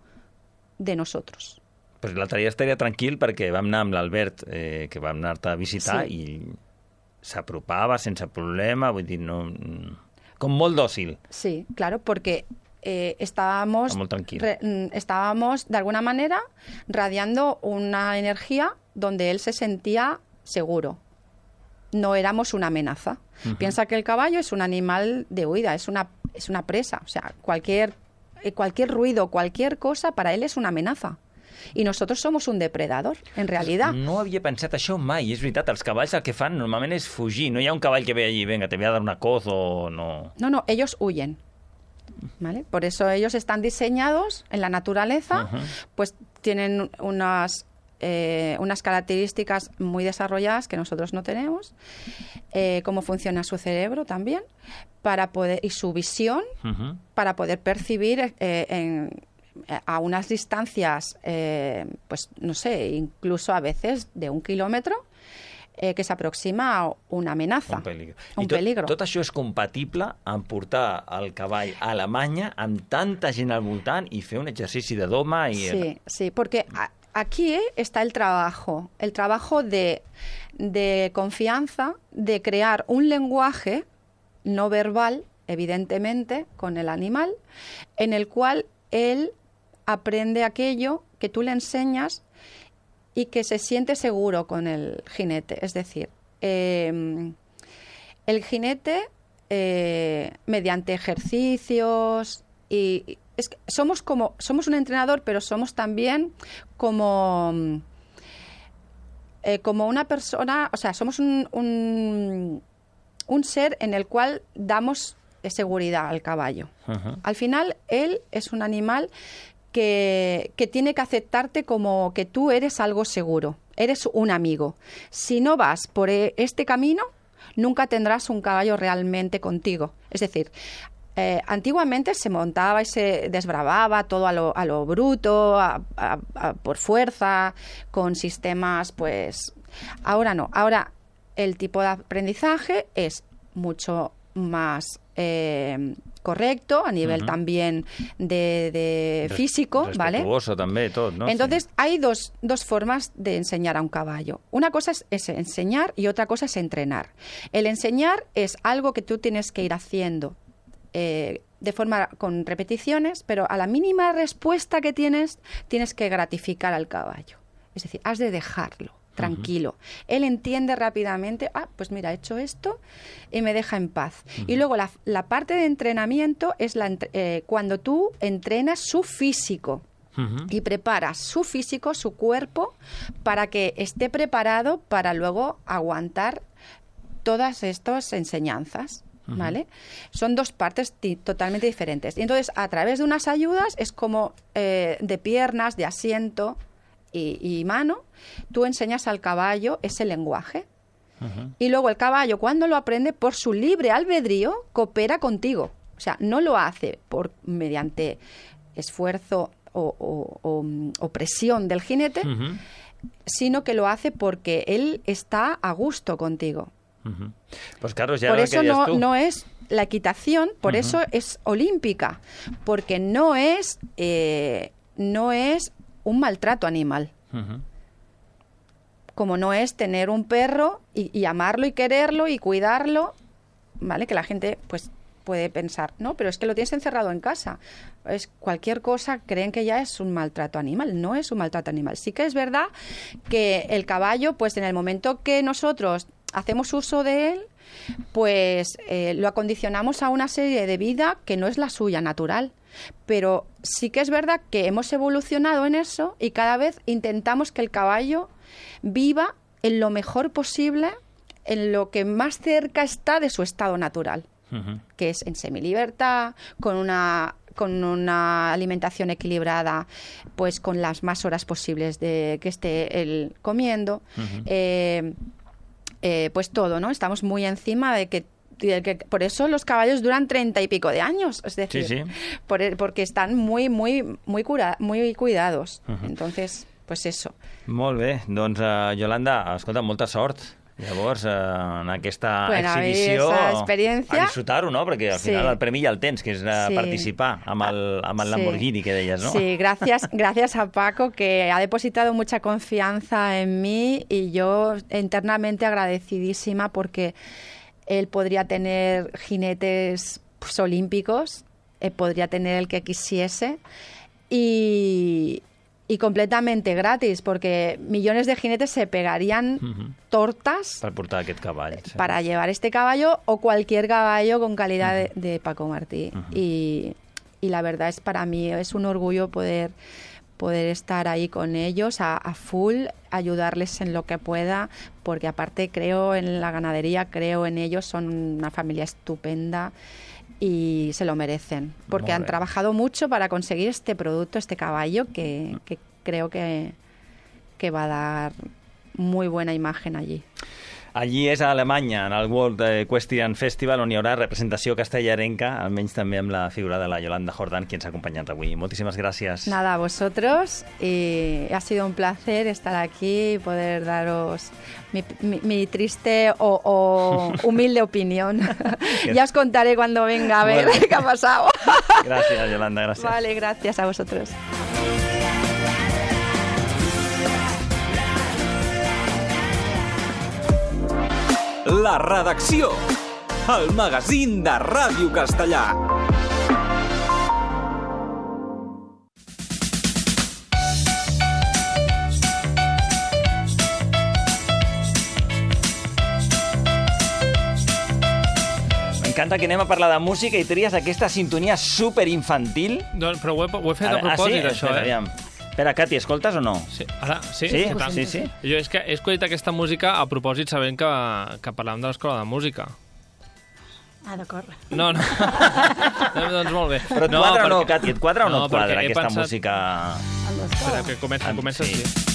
de nosotros. Pues l'altre dia estaria tranquil perquè vam anar amb l'Albert, eh, que vam anar-te a visitar, sí. I s'apropava sense problema, vull dir, no... com molt dòcil. Sí, claro, porque... Eh, estábamos, re, estábamos de alguna manera radiando una energía donde él se sentía seguro. No éramos una amenaza. Uh-huh. Piensa que el caballo es un animal de huida, es una, es una presa. O sea, cualquier, eh, cualquier ruido, cualquier cosa, para él es una amenaza. I nosotros somos un depredador, en realidad. No havia pensat això mai, és veritat. Els cavalls el que fan normalment és fugir. No hi ha un cavall que ve allí, venga, te voy a dar una coz o no... No, no, ellos huyen. ¿Vale? Por eso ellos están diseñados en la naturaleza, uh-huh. Pues tienen unas, eh, unas características muy desarrolladas que nosotros no tenemos, eh, cómo funciona su cerebro también, para poder y su visión, uh-huh. Para poder percibir eh, en, a unas distancias, eh, pues no sé, incluso a veces de un kilómetro, Eh, que s'aproxima a una amenaza, un peligro. Un I tot, peligro. tot això és compatible amb portar el cavall a Alemanya amb tanta gent al voltant i fer un exercici de doma i... Sí, sí, porque aquí está el trabajo, el trabajo de, de confianza, de crear un lenguaje no verbal, evidentemente, con el animal, en el cual él aprende aquello que tú le enseñas y que se siente seguro con el jinete. Es decir, eh, el jinete, eh, mediante ejercicios, y es que somos como somos un entrenador, pero somos también como, eh, como una persona, o sea, somos un, un, un ser en el cual damos seguridad al caballo. Uh-huh. Al final, él es un animal Que, que tiene que aceptarte como que tú eres algo seguro, eres un amigo. Si no vas por este camino, nunca tendrás un caballo realmente contigo. Es decir, eh, antiguamente se montaba y se desbravaba todo a lo, a lo bruto, a, a, a, por fuerza, con sistemas, pues... Ahora no, ahora el tipo de aprendizaje es mucho más... Eh, correcto, a nivel uh-huh. también de, de físico, ¿vale? Respetuoso también, todo, ¿no? Entonces, sí. Hay dos, dos formas de enseñar a un caballo. Una cosa es, es enseñar y otra cosa es entrenar. El enseñar es algo que tú tienes que ir haciendo eh, de forma con repeticiones, pero a la mínima respuesta que tienes, tienes que gratificar al caballo. Es decir, has de dejarlo tranquilo. Uh-huh. Él entiende rápidamente, ah, pues mira, he hecho esto y me deja en paz. Uh-huh. Y luego la, la parte de entrenamiento es la, eh, cuando tú entrenas su físico. Uh-huh. Y preparas su físico, su cuerpo, para que esté preparado para luego aguantar todas estas enseñanzas. ¿Vale? Uh-huh. Son dos partes t- totalmente diferentes. Y entonces, a través de unas ayudas, es como eh, de piernas, de asiento y, y mano, tú enseñas al caballo ese lenguaje. Uh-huh. Y luego el caballo, cuando lo aprende, por su libre albedrío, coopera contigo. O sea, no lo hace por mediante esfuerzo o, o, o, o presión del jinete, uh-huh. sino que lo hace porque él está a gusto contigo. Uh-huh. Pues Carlos, ya por lo eso que no, tú. no es la equitación, por uh-huh. eso es olímpica, porque no es, eh, no es un maltrato animal. Uh-huh. Como no es tener un perro y, y amarlo y quererlo y cuidarlo, ¿vale? Que la gente pues puede pensar, no, pero es que lo tienes encerrado en casa. Es cualquier cosa, creen que ya es un maltrato animal. No es un maltrato animal. Sí que es verdad que el caballo, pues en el momento que nosotros hacemos uso de él, pues eh, lo acondicionamos a una serie de vida que no es la suya natural. Pero sí que es verdad que hemos evolucionado en eso y cada vez intentamos que el caballo viva en lo mejor posible, en lo que más cerca está de su estado natural, uh-huh. que es en semilibertad, con una con una alimentación equilibrada, pues con las más horas posibles de que esté él comiendo, uh-huh. eh, eh, pues todo, ¿no? Estamos muy encima de que que por eso los caballos duran treinta y pico de años, es decir, sí, sí. Por, porque están muy, muy, muy, cura, muy cuidados. Uh-huh. Entonces, pues eso. Molt bé, doncs uh, Yolanda, escolta, molta sort. Llavors, eh, en aquesta bueno, exhibició, a disfrutar-ho, no? Perquè al final sí. el premi ja el tens, que és sí. participar amb el, amb el Lamborghini sí. que deies, ¿no? Sí, gracias, gracias a Paco, que ha depositado mucha confianza en mí y yo internamente agradecidísima porque él podría tener jinetes pues, olímpicos, él podría tener el que quisiese y... y completamente gratis, porque millones de jinetes se pegarían uh-huh. tortas per portar aquest cavall, sí. para llevar este caballo o cualquier caballo con calidad uh-huh. de, de Paco Martí. Uh-huh. Y, y la verdad es para mí es un orgullo poder, poder estar ahí con ellos a, a full, ayudarles en lo que pueda, porque aparte creo en la ganadería, creo en ellos, son una familia estupenda y se lo merecen, porque han trabajado mucho para conseguir este producto, este caballo, que, que creo que, que va a dar muy buena imagen allí. Allí és a Alemanya, en el World Equestrian Festival, on hi haurà representació castellarenca, almenys també amb la figura de la Yolanda Jordan, qui ens ha acompanyat avui. Moltíssimes gràcies. Nada, a vosotros, y ha sido un placer estar aquí y poder daros mi, mi, mi triste o, o humilde opinión. Ya os contaré cuando venga a ver bueno. qué ha pasado. Gracias, Yolanda, gracias. Vale, gracias a vosotros. La redacció, el magazín de Ràdio Castellà. M'encanta que anem a parlar de música i tries aquesta sintonia superinfantil. Doncs, però ho he, ho he fet a propòsit, ah, sí? això, Espera, eh? aviam. Espera, Cati, escoltes o no? Sí, ara, sí? Sí? Sí, sí, sí. Jo és que he escollit aquesta música a propòsit sabent que, que parlàvem de l'escola de música. Ah, d'acord. No, no. no. Doncs molt bé. Però et no, quadra perquè... o no, Cati? Et quadra o no, no et quadra aquesta pensat... música? Espera, que comença, comença sí. sí.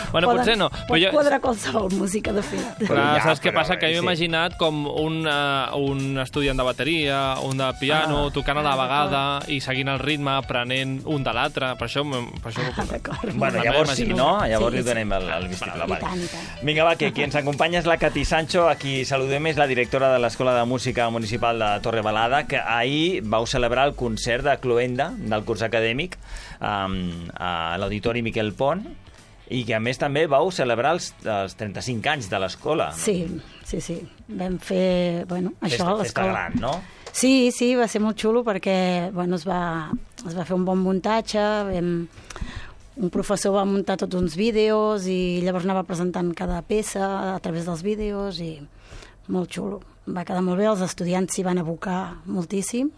Bueno, Poden, potser no. Pot jo... quadrar qualsevol música, de fet. Clar, ja, saps què però, passa? Que sí. m'he imaginat com un, uh, un estudiant de bateria, un de piano, ah, tocant a la vegada i seguint el ritme, aprenent un de l'altre. Per això, per això ah, d'acord. Bueno, llavors sí, no? Llavors sí, li donem el, el vistiplau. Vale. Vinga, va, que qui ens acompanya és la Cati Sancho, a qui saludem, és la directora de l'Escola de Música Municipal de Torre Balada, que ahir vau celebrar el concert de Cloenda, del curs acadèmic, um, a l'Auditori Miquel Pont, i que a més també vau celebrar els, els trenta-cinc anys de l'escola. Sí, sí, sí. Vam fer, bueno, això a l'escola. Festa gran, no? Sí, sí, va ser molt xulo perquè, bueno, es va, es va fer un bon muntatge, vam, un professor va muntar tots uns vídeos i llavors anava presentant cada peça a través dels vídeos i molt xulo. Va quedar molt bé, els estudiants s'hi van abocar moltíssim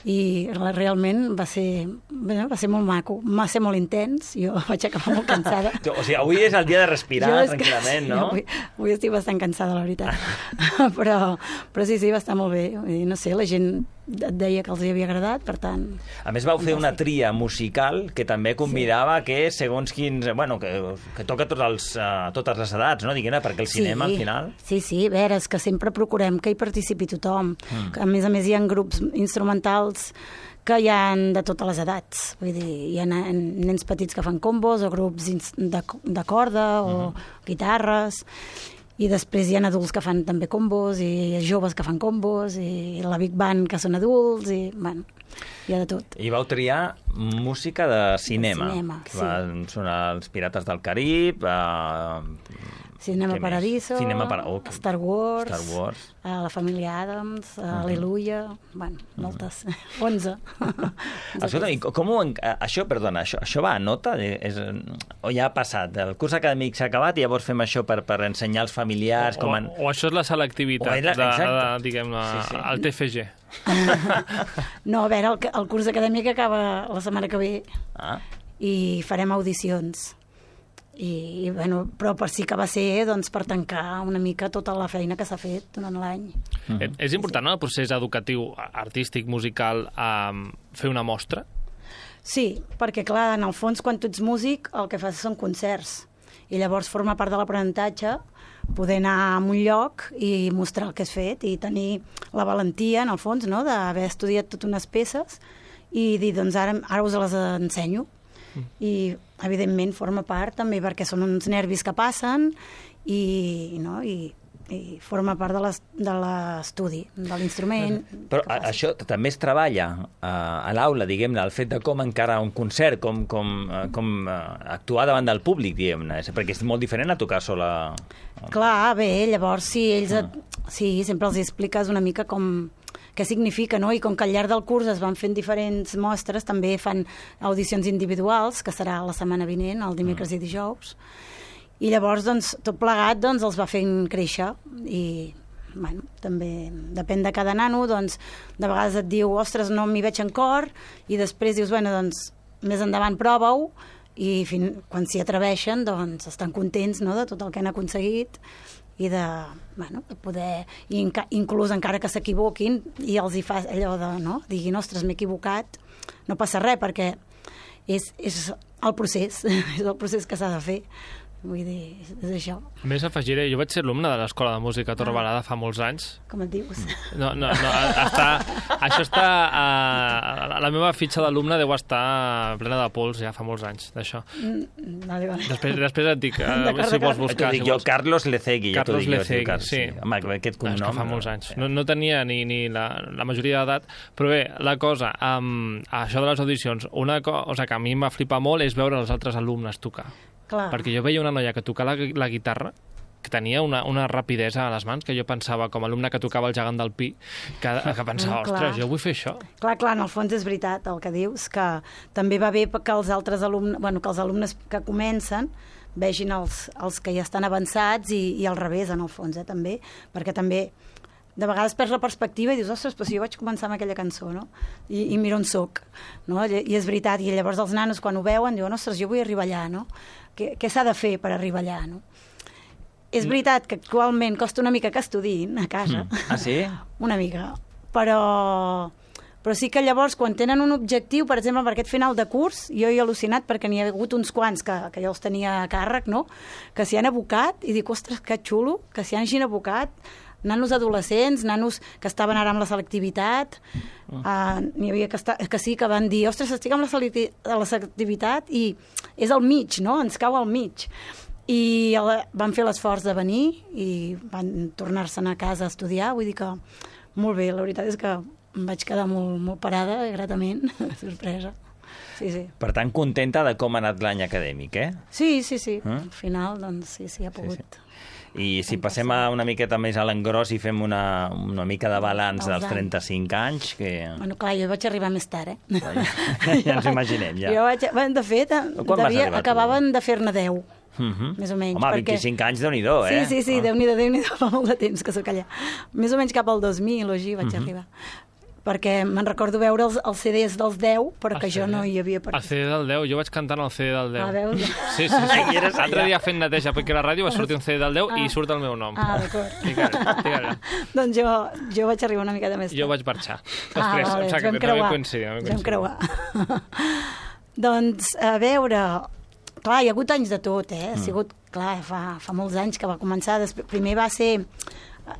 i realment va ser, bueno, va ser molt maco, va ser molt intens, jo vaig acabar molt cansada. O sigui, avui és el dia de respirar tranquil·lament, no? Avui, avui estic bastant cansada, la veritat. però, però sí, sí, va estar molt bé. I no sé, la gent et deia que els havia agradat, per tant... A més, vau fer una tria musical que també convidava sí. que segons quins... Bueno, que, que toca tots els, uh, totes les edats, no? Diguem-ne, perquè el sí, cinema, al final... Sí, sí, a veure, és que sempre procurem que hi participi tothom. Mm. Que, a més a més, hi ha grups instrumentals que hi ha de totes les edats. Vull dir, hi ha nens petits que fan combos o grups de, de corda o mm. guitarres... I després hi ha adults que fan també combos i joves que fan combos i la Big Band que són adults i, bueno, hi ha de tot. I vau triar música de cinema. De cinema, que sí. Van sonar els Pirates del Carib... Uh, Cinema Paradiso, Cinema para... oh, Star Wars, Star Wars. Uh, la família Adams, uh, uh -huh. Aleluia, bueno, moltes, uh -huh. onze. Escolta, i com ho, això, perdona, això, això va a nota? És, o ja ha passat? El curs acadèmic s'ha acabat i llavors fem això per, per ensenyar als familiars? O, com en... o això és la selectivitat, la, de, de, diguem, la, sí, sí. el T F G. No, a veure, el, el curs acadèmic acaba la setmana que ve ah. i farem audicions. I, i bueno, però per sí que va ser doncs, per tancar una mica tota la feina que s'ha fet durant l'any. Mm-hmm. És important, no, el procés educatiu, artístic, musical, um, fer una mostra? Sí, perquè clar, en el fons, quan tu ets músic, el que fas són concerts. I llavors forma part de l'aprenentatge poder anar a un lloc i mostrar el que has fet i tenir la valentia, en el fons, no? D'haver estudiat totes unes peces i dir, doncs ara, ara us les ensenyo. Mm. I, evidentment, forma part també perquè són uns nervis que passen i, no? I, i forma part de l'estudi, de l'instrument. Però a, això també es treballa a, a l'aula, diguem-ne, el fet de com encara un concert, com, com, com actuar davant del públic, diguem-ne, perquè és molt diferent a tocar sola. Clar, bé, llavors sí, ells et, sí, sempre els expliques una mica com què significa, no? I com que al llarg del curs es van fent diferents mostres, també fan audicions individuals, que serà la setmana vinent, el dimecres mm. i dijous. I llavors, doncs, tot plegat, doncs, els va fent créixer i, bueno, també depèn de cada nano, doncs, de vegades et diu, ostres, no m'hi veig en cor, i després dius, bueno, doncs, més endavant prova-ho, i fin, quan s'hi atreveixen, doncs, estan contents, no?, de tot el que han aconseguit i de, bueno, de poder, i enca, inclús encara que s'equivoquin, i els hi fa allò de, no?, diguin, ostres, m'he equivocat, no passa res, perquè és, és el procés, és el procés que s'ha de fer. Vull dir, és això. A més, afegiré, jo vaig ser alumne de l'Escola de Música a Torrebalada fa molts anys. Com et dius? No, no, no, està, això està... Uh, la meva fitxa d'alumne deu estar plena de pols ja fa molts anys, d'això. Mm, vale, vale. Després, després et dic, uh, si vols buscar... Si jo, Carlos Lecegui. Carlos ja Lecegui, Carlos, sí. Home, aquest cognom... És que fa molts anys. No, no tenia ni, ni la, la majoria d'edat, però bé, la cosa, um, això de les audicions, una cosa que a mi em va flipar molt és veure els altres alumnes tocar. Clar. Perquè jo veia una noia que tocava la, la guitarra que tenia una, una rapidesa a les mans que jo pensava, com a alumne que tocava el gegant del Pi, que, que pensava, ostres, jo vull fer això. Clar, clar, en el fons és veritat el que dius, que també va bé que els altres alumnes, bueno, que els alumnes que comencen vegin els, els que ja estan avançats i, i al revés, en el fons, eh, també, perquè també de vegades perds la perspectiva i dius, ostres, però si jo vaig començar amb aquella cançó, no? I, i mira on soc, no? I és veritat, i llavors els nanos quan ho veuen diuen, ostres, jo vull arribar allà, no? Què, què s'ha de fer per arribar allà, no? És veritat que actualment costa una mica que estudiïn a casa. Mm. Ah, sí? Una mica. Però, però sí que llavors, quan tenen un objectiu, per exemple, per aquest final de curs, jo he al·lucinat perquè n'hi ha hagut uns quants que, que jo els tenia a càrrec, no? Que s'hi han abocat i dic, ostres, que xulo, que s'hi hagin abocat nanos adolescents, nanos que estaven ara amb la selectivitat, uh, n'hi havia que, esta, que sí, que van dir, ostres, estic amb la, selecti la selectivitat i és al mig, no? Ens cau al mig. I el, van fer l'esforç de venir i van tornar-se'n a casa a estudiar, vull dir que molt bé, la veritat és que em vaig quedar molt, molt parada, gratament, sorpresa. Sí, sí. Per tant, contenta de com ha anat l'any acadèmic, eh? Sí, sí, sí. Mm? Al final, doncs, sí, sí, ha pogut... Sí, sí. I si passem a una miqueta més a l'engròs i fem una, una mica de balanç dels trenta-cinc anys... Que... Bueno, clar, jo vaig arribar més tard, eh? Ja ens imaginem, ja. Jo vaig... Bueno, de fet, devia... acabaven de fer-ne deu, uh -huh. més o menys. Home, perquè... vint-i-cinc anys, Déu-n'hi-do, eh? Sí, sí, sí, ah. Déu-n'hi-do, Déu-n'hi-do, fa molt de temps que sóc allà. Més o menys cap al dos mil o així vaig uh -huh. arribar. Perquè me'n recordo veure els, els C Ds dels deu, però que jo no hi havia... Per... El C D del deu, jo vaig cantant el C D del deu. Ah, veus? Sí, sí, sí. L'altre dia fent neteja perquè a la ràdio va sortir un C D del deu ah. i surt el meu nom. Ah, d'acord. Fica-li. Doncs jo, jo vaig arribar una miqueta més tard. Jo vaig marxar. Després, ah, vale, o sigui, vam creuar. Coincidir, vam coincidir. Vam creuar. Doncs, a veure... Clar, hi ha hagut anys de tot, eh? Ha sigut, clar, fa, fa molts anys que va començar. Després, primer va ser...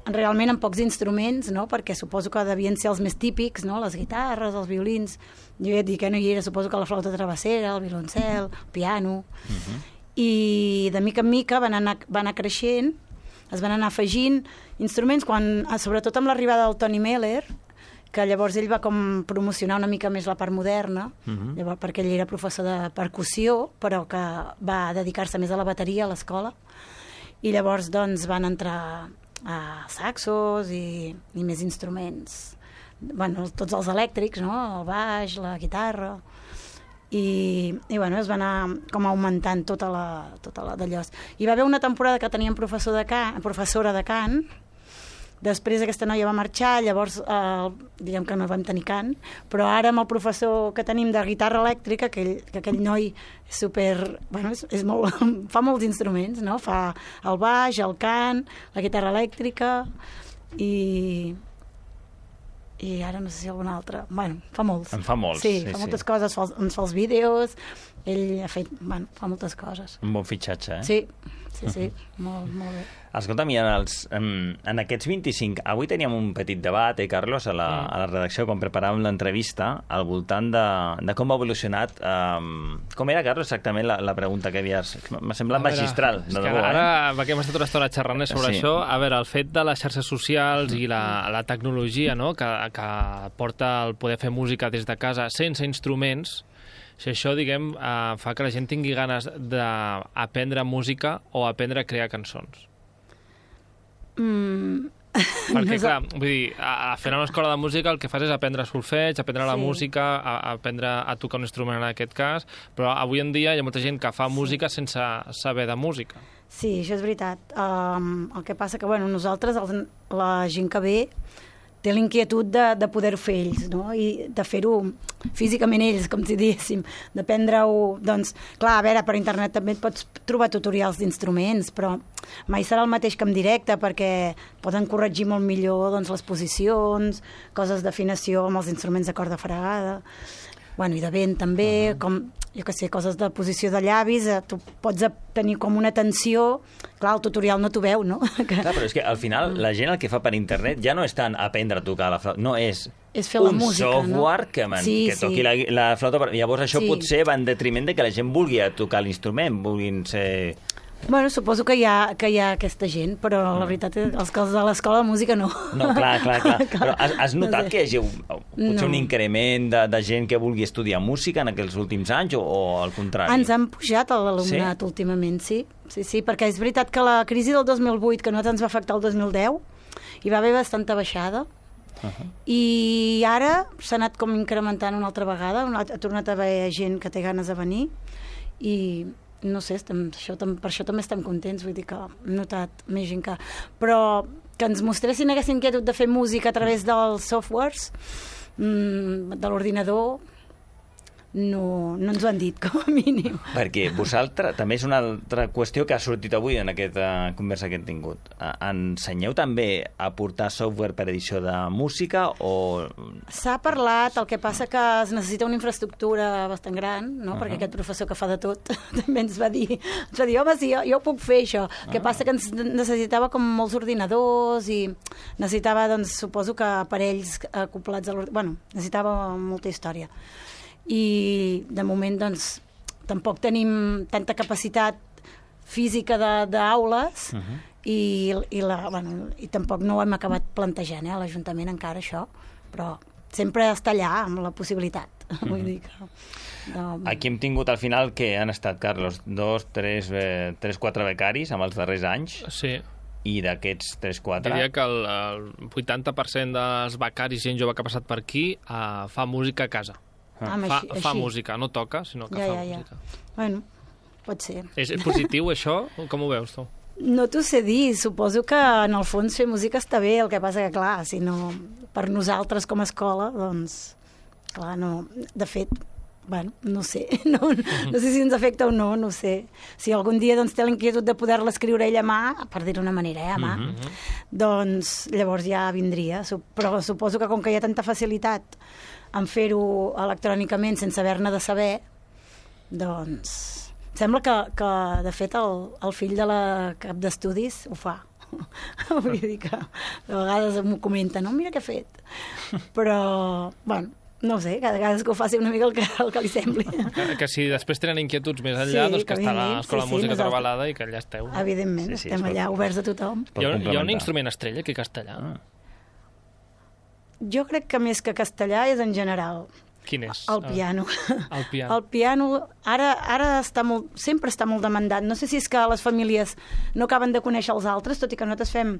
realment amb pocs instruments, no? Perquè suposo que devien ser els més típics, no? Les guitarres, els violins, jo ja et dic que no hi era, suposo que la flauta travessera, el violoncel, el piano, uh -huh. i de mica en mica van anar, van anar creixent, es van anar afegint instruments, quan, sobretot amb l'arribada del Tony Meller, que llavors ell va com promocionar una mica més la part moderna, uh -huh. llavors, perquè ell era professor de percussió, però que va dedicar-se més a la bateria a l'escola, i llavors doncs van entrar a saxos i, i més instruments, bueno, tots els elèctrics, no? El baix, la guitarra, i, i bueno, es va anar com augmentant tota la, tota la d'allò. Hi va haver una temporada que teníem professor de cant, professora de cant. Després aquesta noia va marxar, llavors eh, diguem que no vam tenir cant, però ara amb el professor que tenim de guitarra elèctrica, aquell, que aquell noi és super... Bueno, és, és molt, fa molts instruments, no? Fa el baix, el cant, la guitarra elèctrica i... i ara no sé si algun altre. Bueno, fa molts. En fa molts. Sí, sí fa sí. moltes coses, fa, ens fa els vídeos, ell ha fet, bueno, fa moltes coses. Un bon fitxatge, eh? Sí, sí, sí, molt, molt bé. Escolta'm, i en, els, en, en aquests vint-i-cinc... Avui teníem un petit debat, eh, Carlos, a la, a la redacció, quan preparàvem l'entrevista, al voltant de, de com ha evolucionat... Um, com era, Carlos, exactament la, la pregunta que havies... M'ha semblat A veure, magistral, de és que debò, ara, eh? perquè hem estat una estona xerrant sobre Sí. això, a veure, el fet de les xarxes socials i la, la tecnologia, no?, que, que porta el poder fer música des de casa sense instruments, si això, diguem, eh, fa que la gent tingui ganes d'aprendre música o aprendre a crear cançons. Mm. Perquè, clar, vull dir, a, a fer una escola de música el que fas és aprendre solfeig, aprendre la Sí. música, a, a aprendre a tocar un instrument en aquest cas, però avui en dia hi ha molta gent que fa música sense saber de música. Sí, això és veritat. Um, el que passa que, bueno, nosaltres, els, la gent que ve, té l'inquietud de, de poder-ho fer ells, no? I de fer-ho físicament ells, com si diguéssim, d'aprendre-ho, doncs, clar, a veure, per internet també et pots trobar tutorials d'instruments, però mai serà el mateix que en directe, perquè poden corregir molt millor, doncs, les posicions, coses d'afinació amb els instruments de corda fregada, bueno, i de vent també, uh -huh. com, jo què sé, coses de posició de llavis, eh, tu pots tenir com una tensió, clar, el tutorial no t'ho veu, no? Que... Clar, però és que al final la gent el que fa per internet ja no és tant aprendre a tocar la flauta, no, és, és fer la un música, software no? que, man, Sí, que toqui sí. la, la flauta. Llavors això Sí. potser va en detriment de que la gent vulgui tocar l'instrument, vulguin ser... Bueno, suposo que hi ha, que hi ha aquesta gent, però la veritat és els que els de l'escola de música no. No, clar, clar, clar. Però has, has notat No sé. que hi hagi un, potser No. un increment de, de gent que vulgui estudiar música en aquests últims anys o, o al contrari? Ens han pujat l'alumnat Sí? últimament, sí. Sí, sí, perquè és veritat que la crisi del dos mil vuit, que a nosaltres ens va afectar el dos mil deu, hi va haver bastanta baixada, Uh -huh. i ara s'ha anat com incrementant una altra vegada, ha tornat a haver gent que té ganes de venir, i no sé, estem, això, per això també estem contents, vull dir que hem notat més gent que... Però que ens mostressin aquesta inquietud de fer música a través dels softwares, mmm, de l'ordinador, no, no ens ho han dit, com a mínim. Perquè vosaltres, també és una altra qüestió que ha sortit avui en aquesta conversa que hem tingut. Eh, Ensenyeu també a portar software per edició de música o... S'ha parlat, el que passa que es necessita una infraestructura bastant gran, no? Uh-huh. Perquè aquest professor que fa de tot també ens va dir, ens va dir, home, sí, jo, jo ho puc fer, això. El que Ah. passa que ens necessitava com molts ordinadors i necessitava, doncs, suposo que aparells acoplats a l'ordinador. Bueno, necessitava molta història. I, de moment, doncs, tampoc tenim tanta capacitat física d'aules Uh-huh. i, i, la, bueno, i tampoc no ho hem acabat plantejant, eh, a l'Ajuntament encara, això, però sempre està allà amb la possibilitat. Uh-huh. Vull dir que... De... Aquí hem tingut al final que han estat, Carlos, dos, tres, eh, tres quatre becaris amb els darrers anys. Sí. I d'aquests tres quatre... Diria que el, el vuitanta per cent dels becaris, gent jove que ha passat per aquí, uh, fa música a casa. Ah, fa, així, fa així. música, no toca, sinó que Ja, fa ja, ja. música. Bueno, pot ser. És, és positiu, això? Com ho veus, tu? No t'ho sé dir, suposo que en el fons fer música està bé, el que passa que, clar, si no, per nosaltres com a escola, doncs, clar, no, de fet, bueno, no sé, no, no sé si ens afecta o no, no sé. Si algun dia doncs, té la inquietud de poder-la escriure ell a mà, per dir-ho d'una manera, eh, a mà, Mhm. doncs llavors ja vindria. Su- Però suposo que com que hi ha tanta facilitat en fer-ho electrònicament sense haver-ne de saber, doncs... Sembla que, que de fet, el, el fill de la cap d'estudis ho fa. Vull dir que de vegades m'ho comenta, no? Mira què ha fet. Però, bueno, no sé, cada vegada que ho faci una mica el que, el que li sembli. Que, que si després tenen inquietuds més enllà, Sí, doncs que que està vinguin, l'Escola sí, de sí, Música nosaltres- Trabalada i que allà esteu. Evidentment, Sí, sí, estem es pot- allà oberts a tothom. pot Hi ha, hi ha un complementar. instrument estrella aquí castellà? Ah. Jo crec que més que castellà és en general. Quin és? El piano. El piano. El piano ara, ara està molt, sempre està molt demandat. No sé si és que les famílies no acaben de conèixer els altres, tot i que nosaltres fem,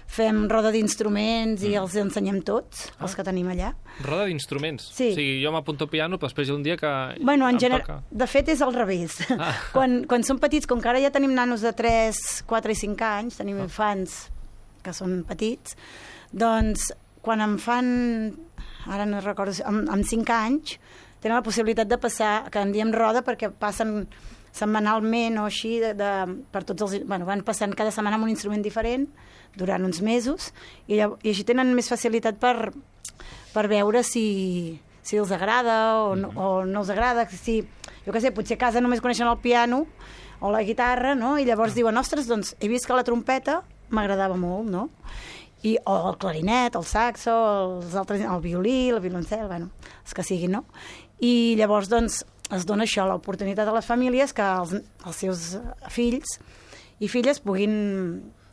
fem roda d'instruments i els ensenyem tots, els que tenim allà. Roda d'instruments. Sí. O sigui, jo m'apunto al piano, però després hi ha un dia que Bueno, en em gener... toca. de fet és al revés. Ah. Quan, quan són petits, com que ara ja tenim nanos de tres, quatre i cinc anys, tenim infants que són petits, doncs quan em fan, ara no recordo, amb, amb cinc anys, tenen la possibilitat de passar, que en diem roda perquè passen setmanalment o així, de, de, per tots els, bueno, van passant cada setmana amb un instrument diferent durant uns mesos i, llav- i així tenen més facilitat per, per veure si, si els agrada o no, o no els agrada, si, jo què sé, potser a casa només coneixen el piano o la guitarra, no? I llavors diuen, ostres, doncs he vist que la trompeta m'agradava molt, no? I, o el clarinet, el saxo, els altres, el violí, el violoncel, bueno, els que siguin, no? I llavors, doncs, es dona això, l'oportunitat a les famílies que els, els seus fills i filles puguin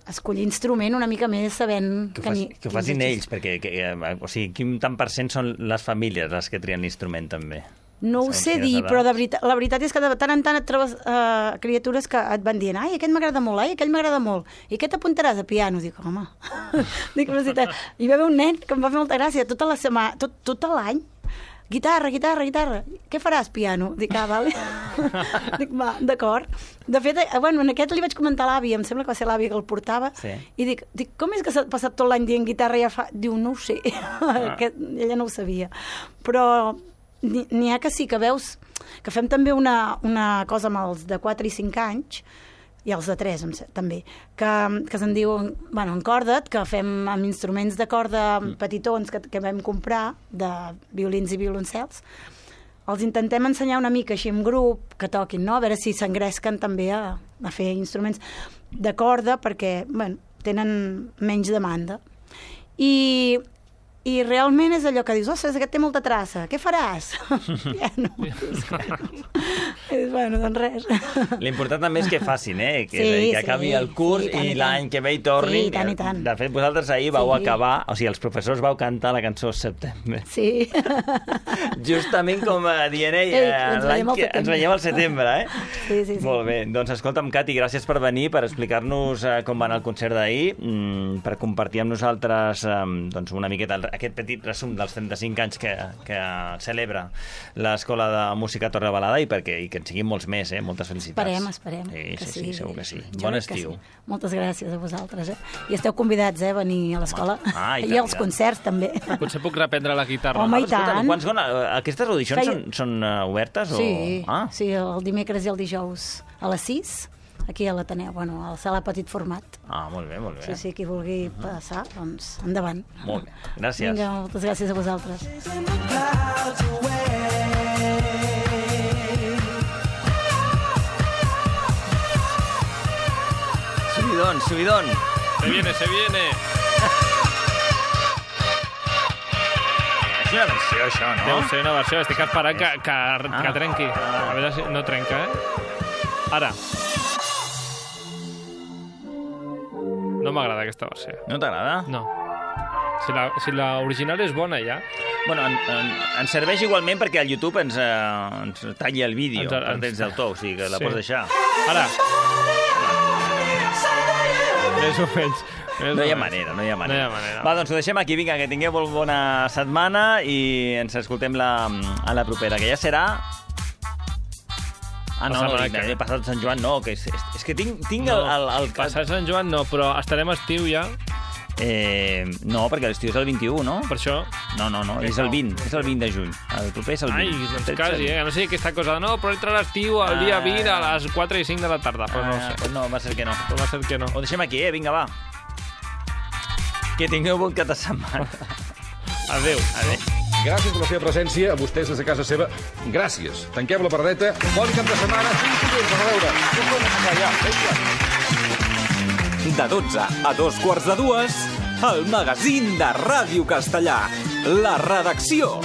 escollir instrument una mica més sabent... Que ho, faci, que ho facin ells, perquè que, o sigui, quin tant per cent són les famílies les que trien l'instrument, també? No ho sé dir, però de veritat, la veritat és que de tant en tant et trobes uh, criatures que et van dient ai, aquest m'agrada molt, ai, aquell m'agrada molt, i què t'apuntaràs a piano? Dic, home... Dic, però si hi va haver un nen que em va fer molta gràcia, tota la setmana, tot, tot l'any, guitarra, guitarra, guitarra, què faràs, piano? Dic, ah, vale. Dic, va, d'acord. De fet, bueno, en aquest li vaig comentar a l'àvia, em sembla que va ser l'àvia que el portava, sí. I dic, dic, com és que s'ha passat tot l'any dient guitarra i ja fa... Diu, no ho sé, ah. que ella no ho sabia. Però n'hi ha que sí, que veus que fem també una, una cosa amb els de quatre i cinc anys, i els de tres també, que, que se'n diu, bueno, en corda, que fem amb instruments de corda petitons que, que vam comprar, de violins i violoncels, els intentem ensenyar una mica així en grup, que toquin, no? A veure si s'engresquen també a, a fer instruments de corda, perquè, bueno, tenen menys demanda. I... I realment és allò que dius, ostres, aquest té molta traça, què faràs? Piano. Bueno, doncs res. L'important també és que facin, eh? Que, sí, que acabi sí, el curs sí, i i l'any que ve hi tornin. Sí, i tant, i tant. De fet, vosaltres ahir vau sí. acabar, o sigui, els professors vau cantar la cançó Setembre. Sí. Justament com dient, ei, ei l'any que ens veiem al setembre, eh? Sí, sí, sí. Molt bé. Doncs escolta'm, Cati, gràcies per venir, per explicar-nos uh, com va anar el concert d'ahir, mm, per compartir amb nosaltres um, doncs una miqueta aquest petit resum dels trenta-cinc anys que, que celebra l'Escola de Música Torre Balada i, perquè, i que en siguin molts més, eh? Moltes felicitats. Esperem, esperem. Sí, que sí, sí, sí, segur que sí. Jo Bon crec estiu. Sí. Moltes gràcies a vosaltres, eh? I esteu convidats, eh, a venir a l'escola. Ah, i, I als concerts, també. Potser puc reprendre la guitarra. Home, i tant. Quants, aquestes audicions Feia... són, són uh, obertes? Sí, o... ah. sí, el dimecres i el dijous a les sis, aquí a l'Ateneu, bueno, a la sala petit format. Ah, molt bé, molt bé. Sí, sí, qui vulgui passar, doncs endavant. Molt bé, gràcies. Vinga, moltes gràcies a vosaltres. Subidón, subidón. Se viene, se viene. És una versió, això, no? Deu ser una versió. Estic esperant que, que, Ah. que trenqui. A veure si no trenca, eh? Ara. No m'agrada aquesta versió. No t'agrada? No. Si la, si la original és bona, ja. Bueno, en, en, ens serveix igualment perquè al YouTube ens, eh, ens talla el vídeo Ens- per ens- drets d'autor, o sigui que la Sí. pots deixar. Ara. Més o menys. Més No o hi ha menys. manera, no hi ha No hi manera. ha manera. Va, doncs ho deixem aquí, vinga, que tingueu molt bona setmana i ens escoltem la, a la propera, que ja serà... Ah, La no, setmana no, que ve. passat Sant Joan no, que és, és, és que tinc, tinc No, el, el, el... Passat Sant Joan no, però estarem a estiu ja. Eh, no, perquè l'estiu és el vint-i-u, no? Per això... No, no, no, és el vint, és el vint de juny. El proper és el vint. Ai, doncs tretze. quasi, eh? No sé aquesta cosa de no, però entra l'estiu el dia vint a les quatre i cinc de la tarda, però no ho Ah, sé. pues no, va ser que no. Però va ser que no. Ho deixem aquí, eh? Vinga, va. Que tingueu bon cap de setmana. Adéu. Adéu. Gràcies per la seva presència, a vostès des de casa seva. Gràcies. Tanquem la paradeta. Bon cap de setmana. Fins dilluns. A veure. Ja, vinga. De dotze a dos quarts de dues, el magazín de Ràdio Castellà. La redacció.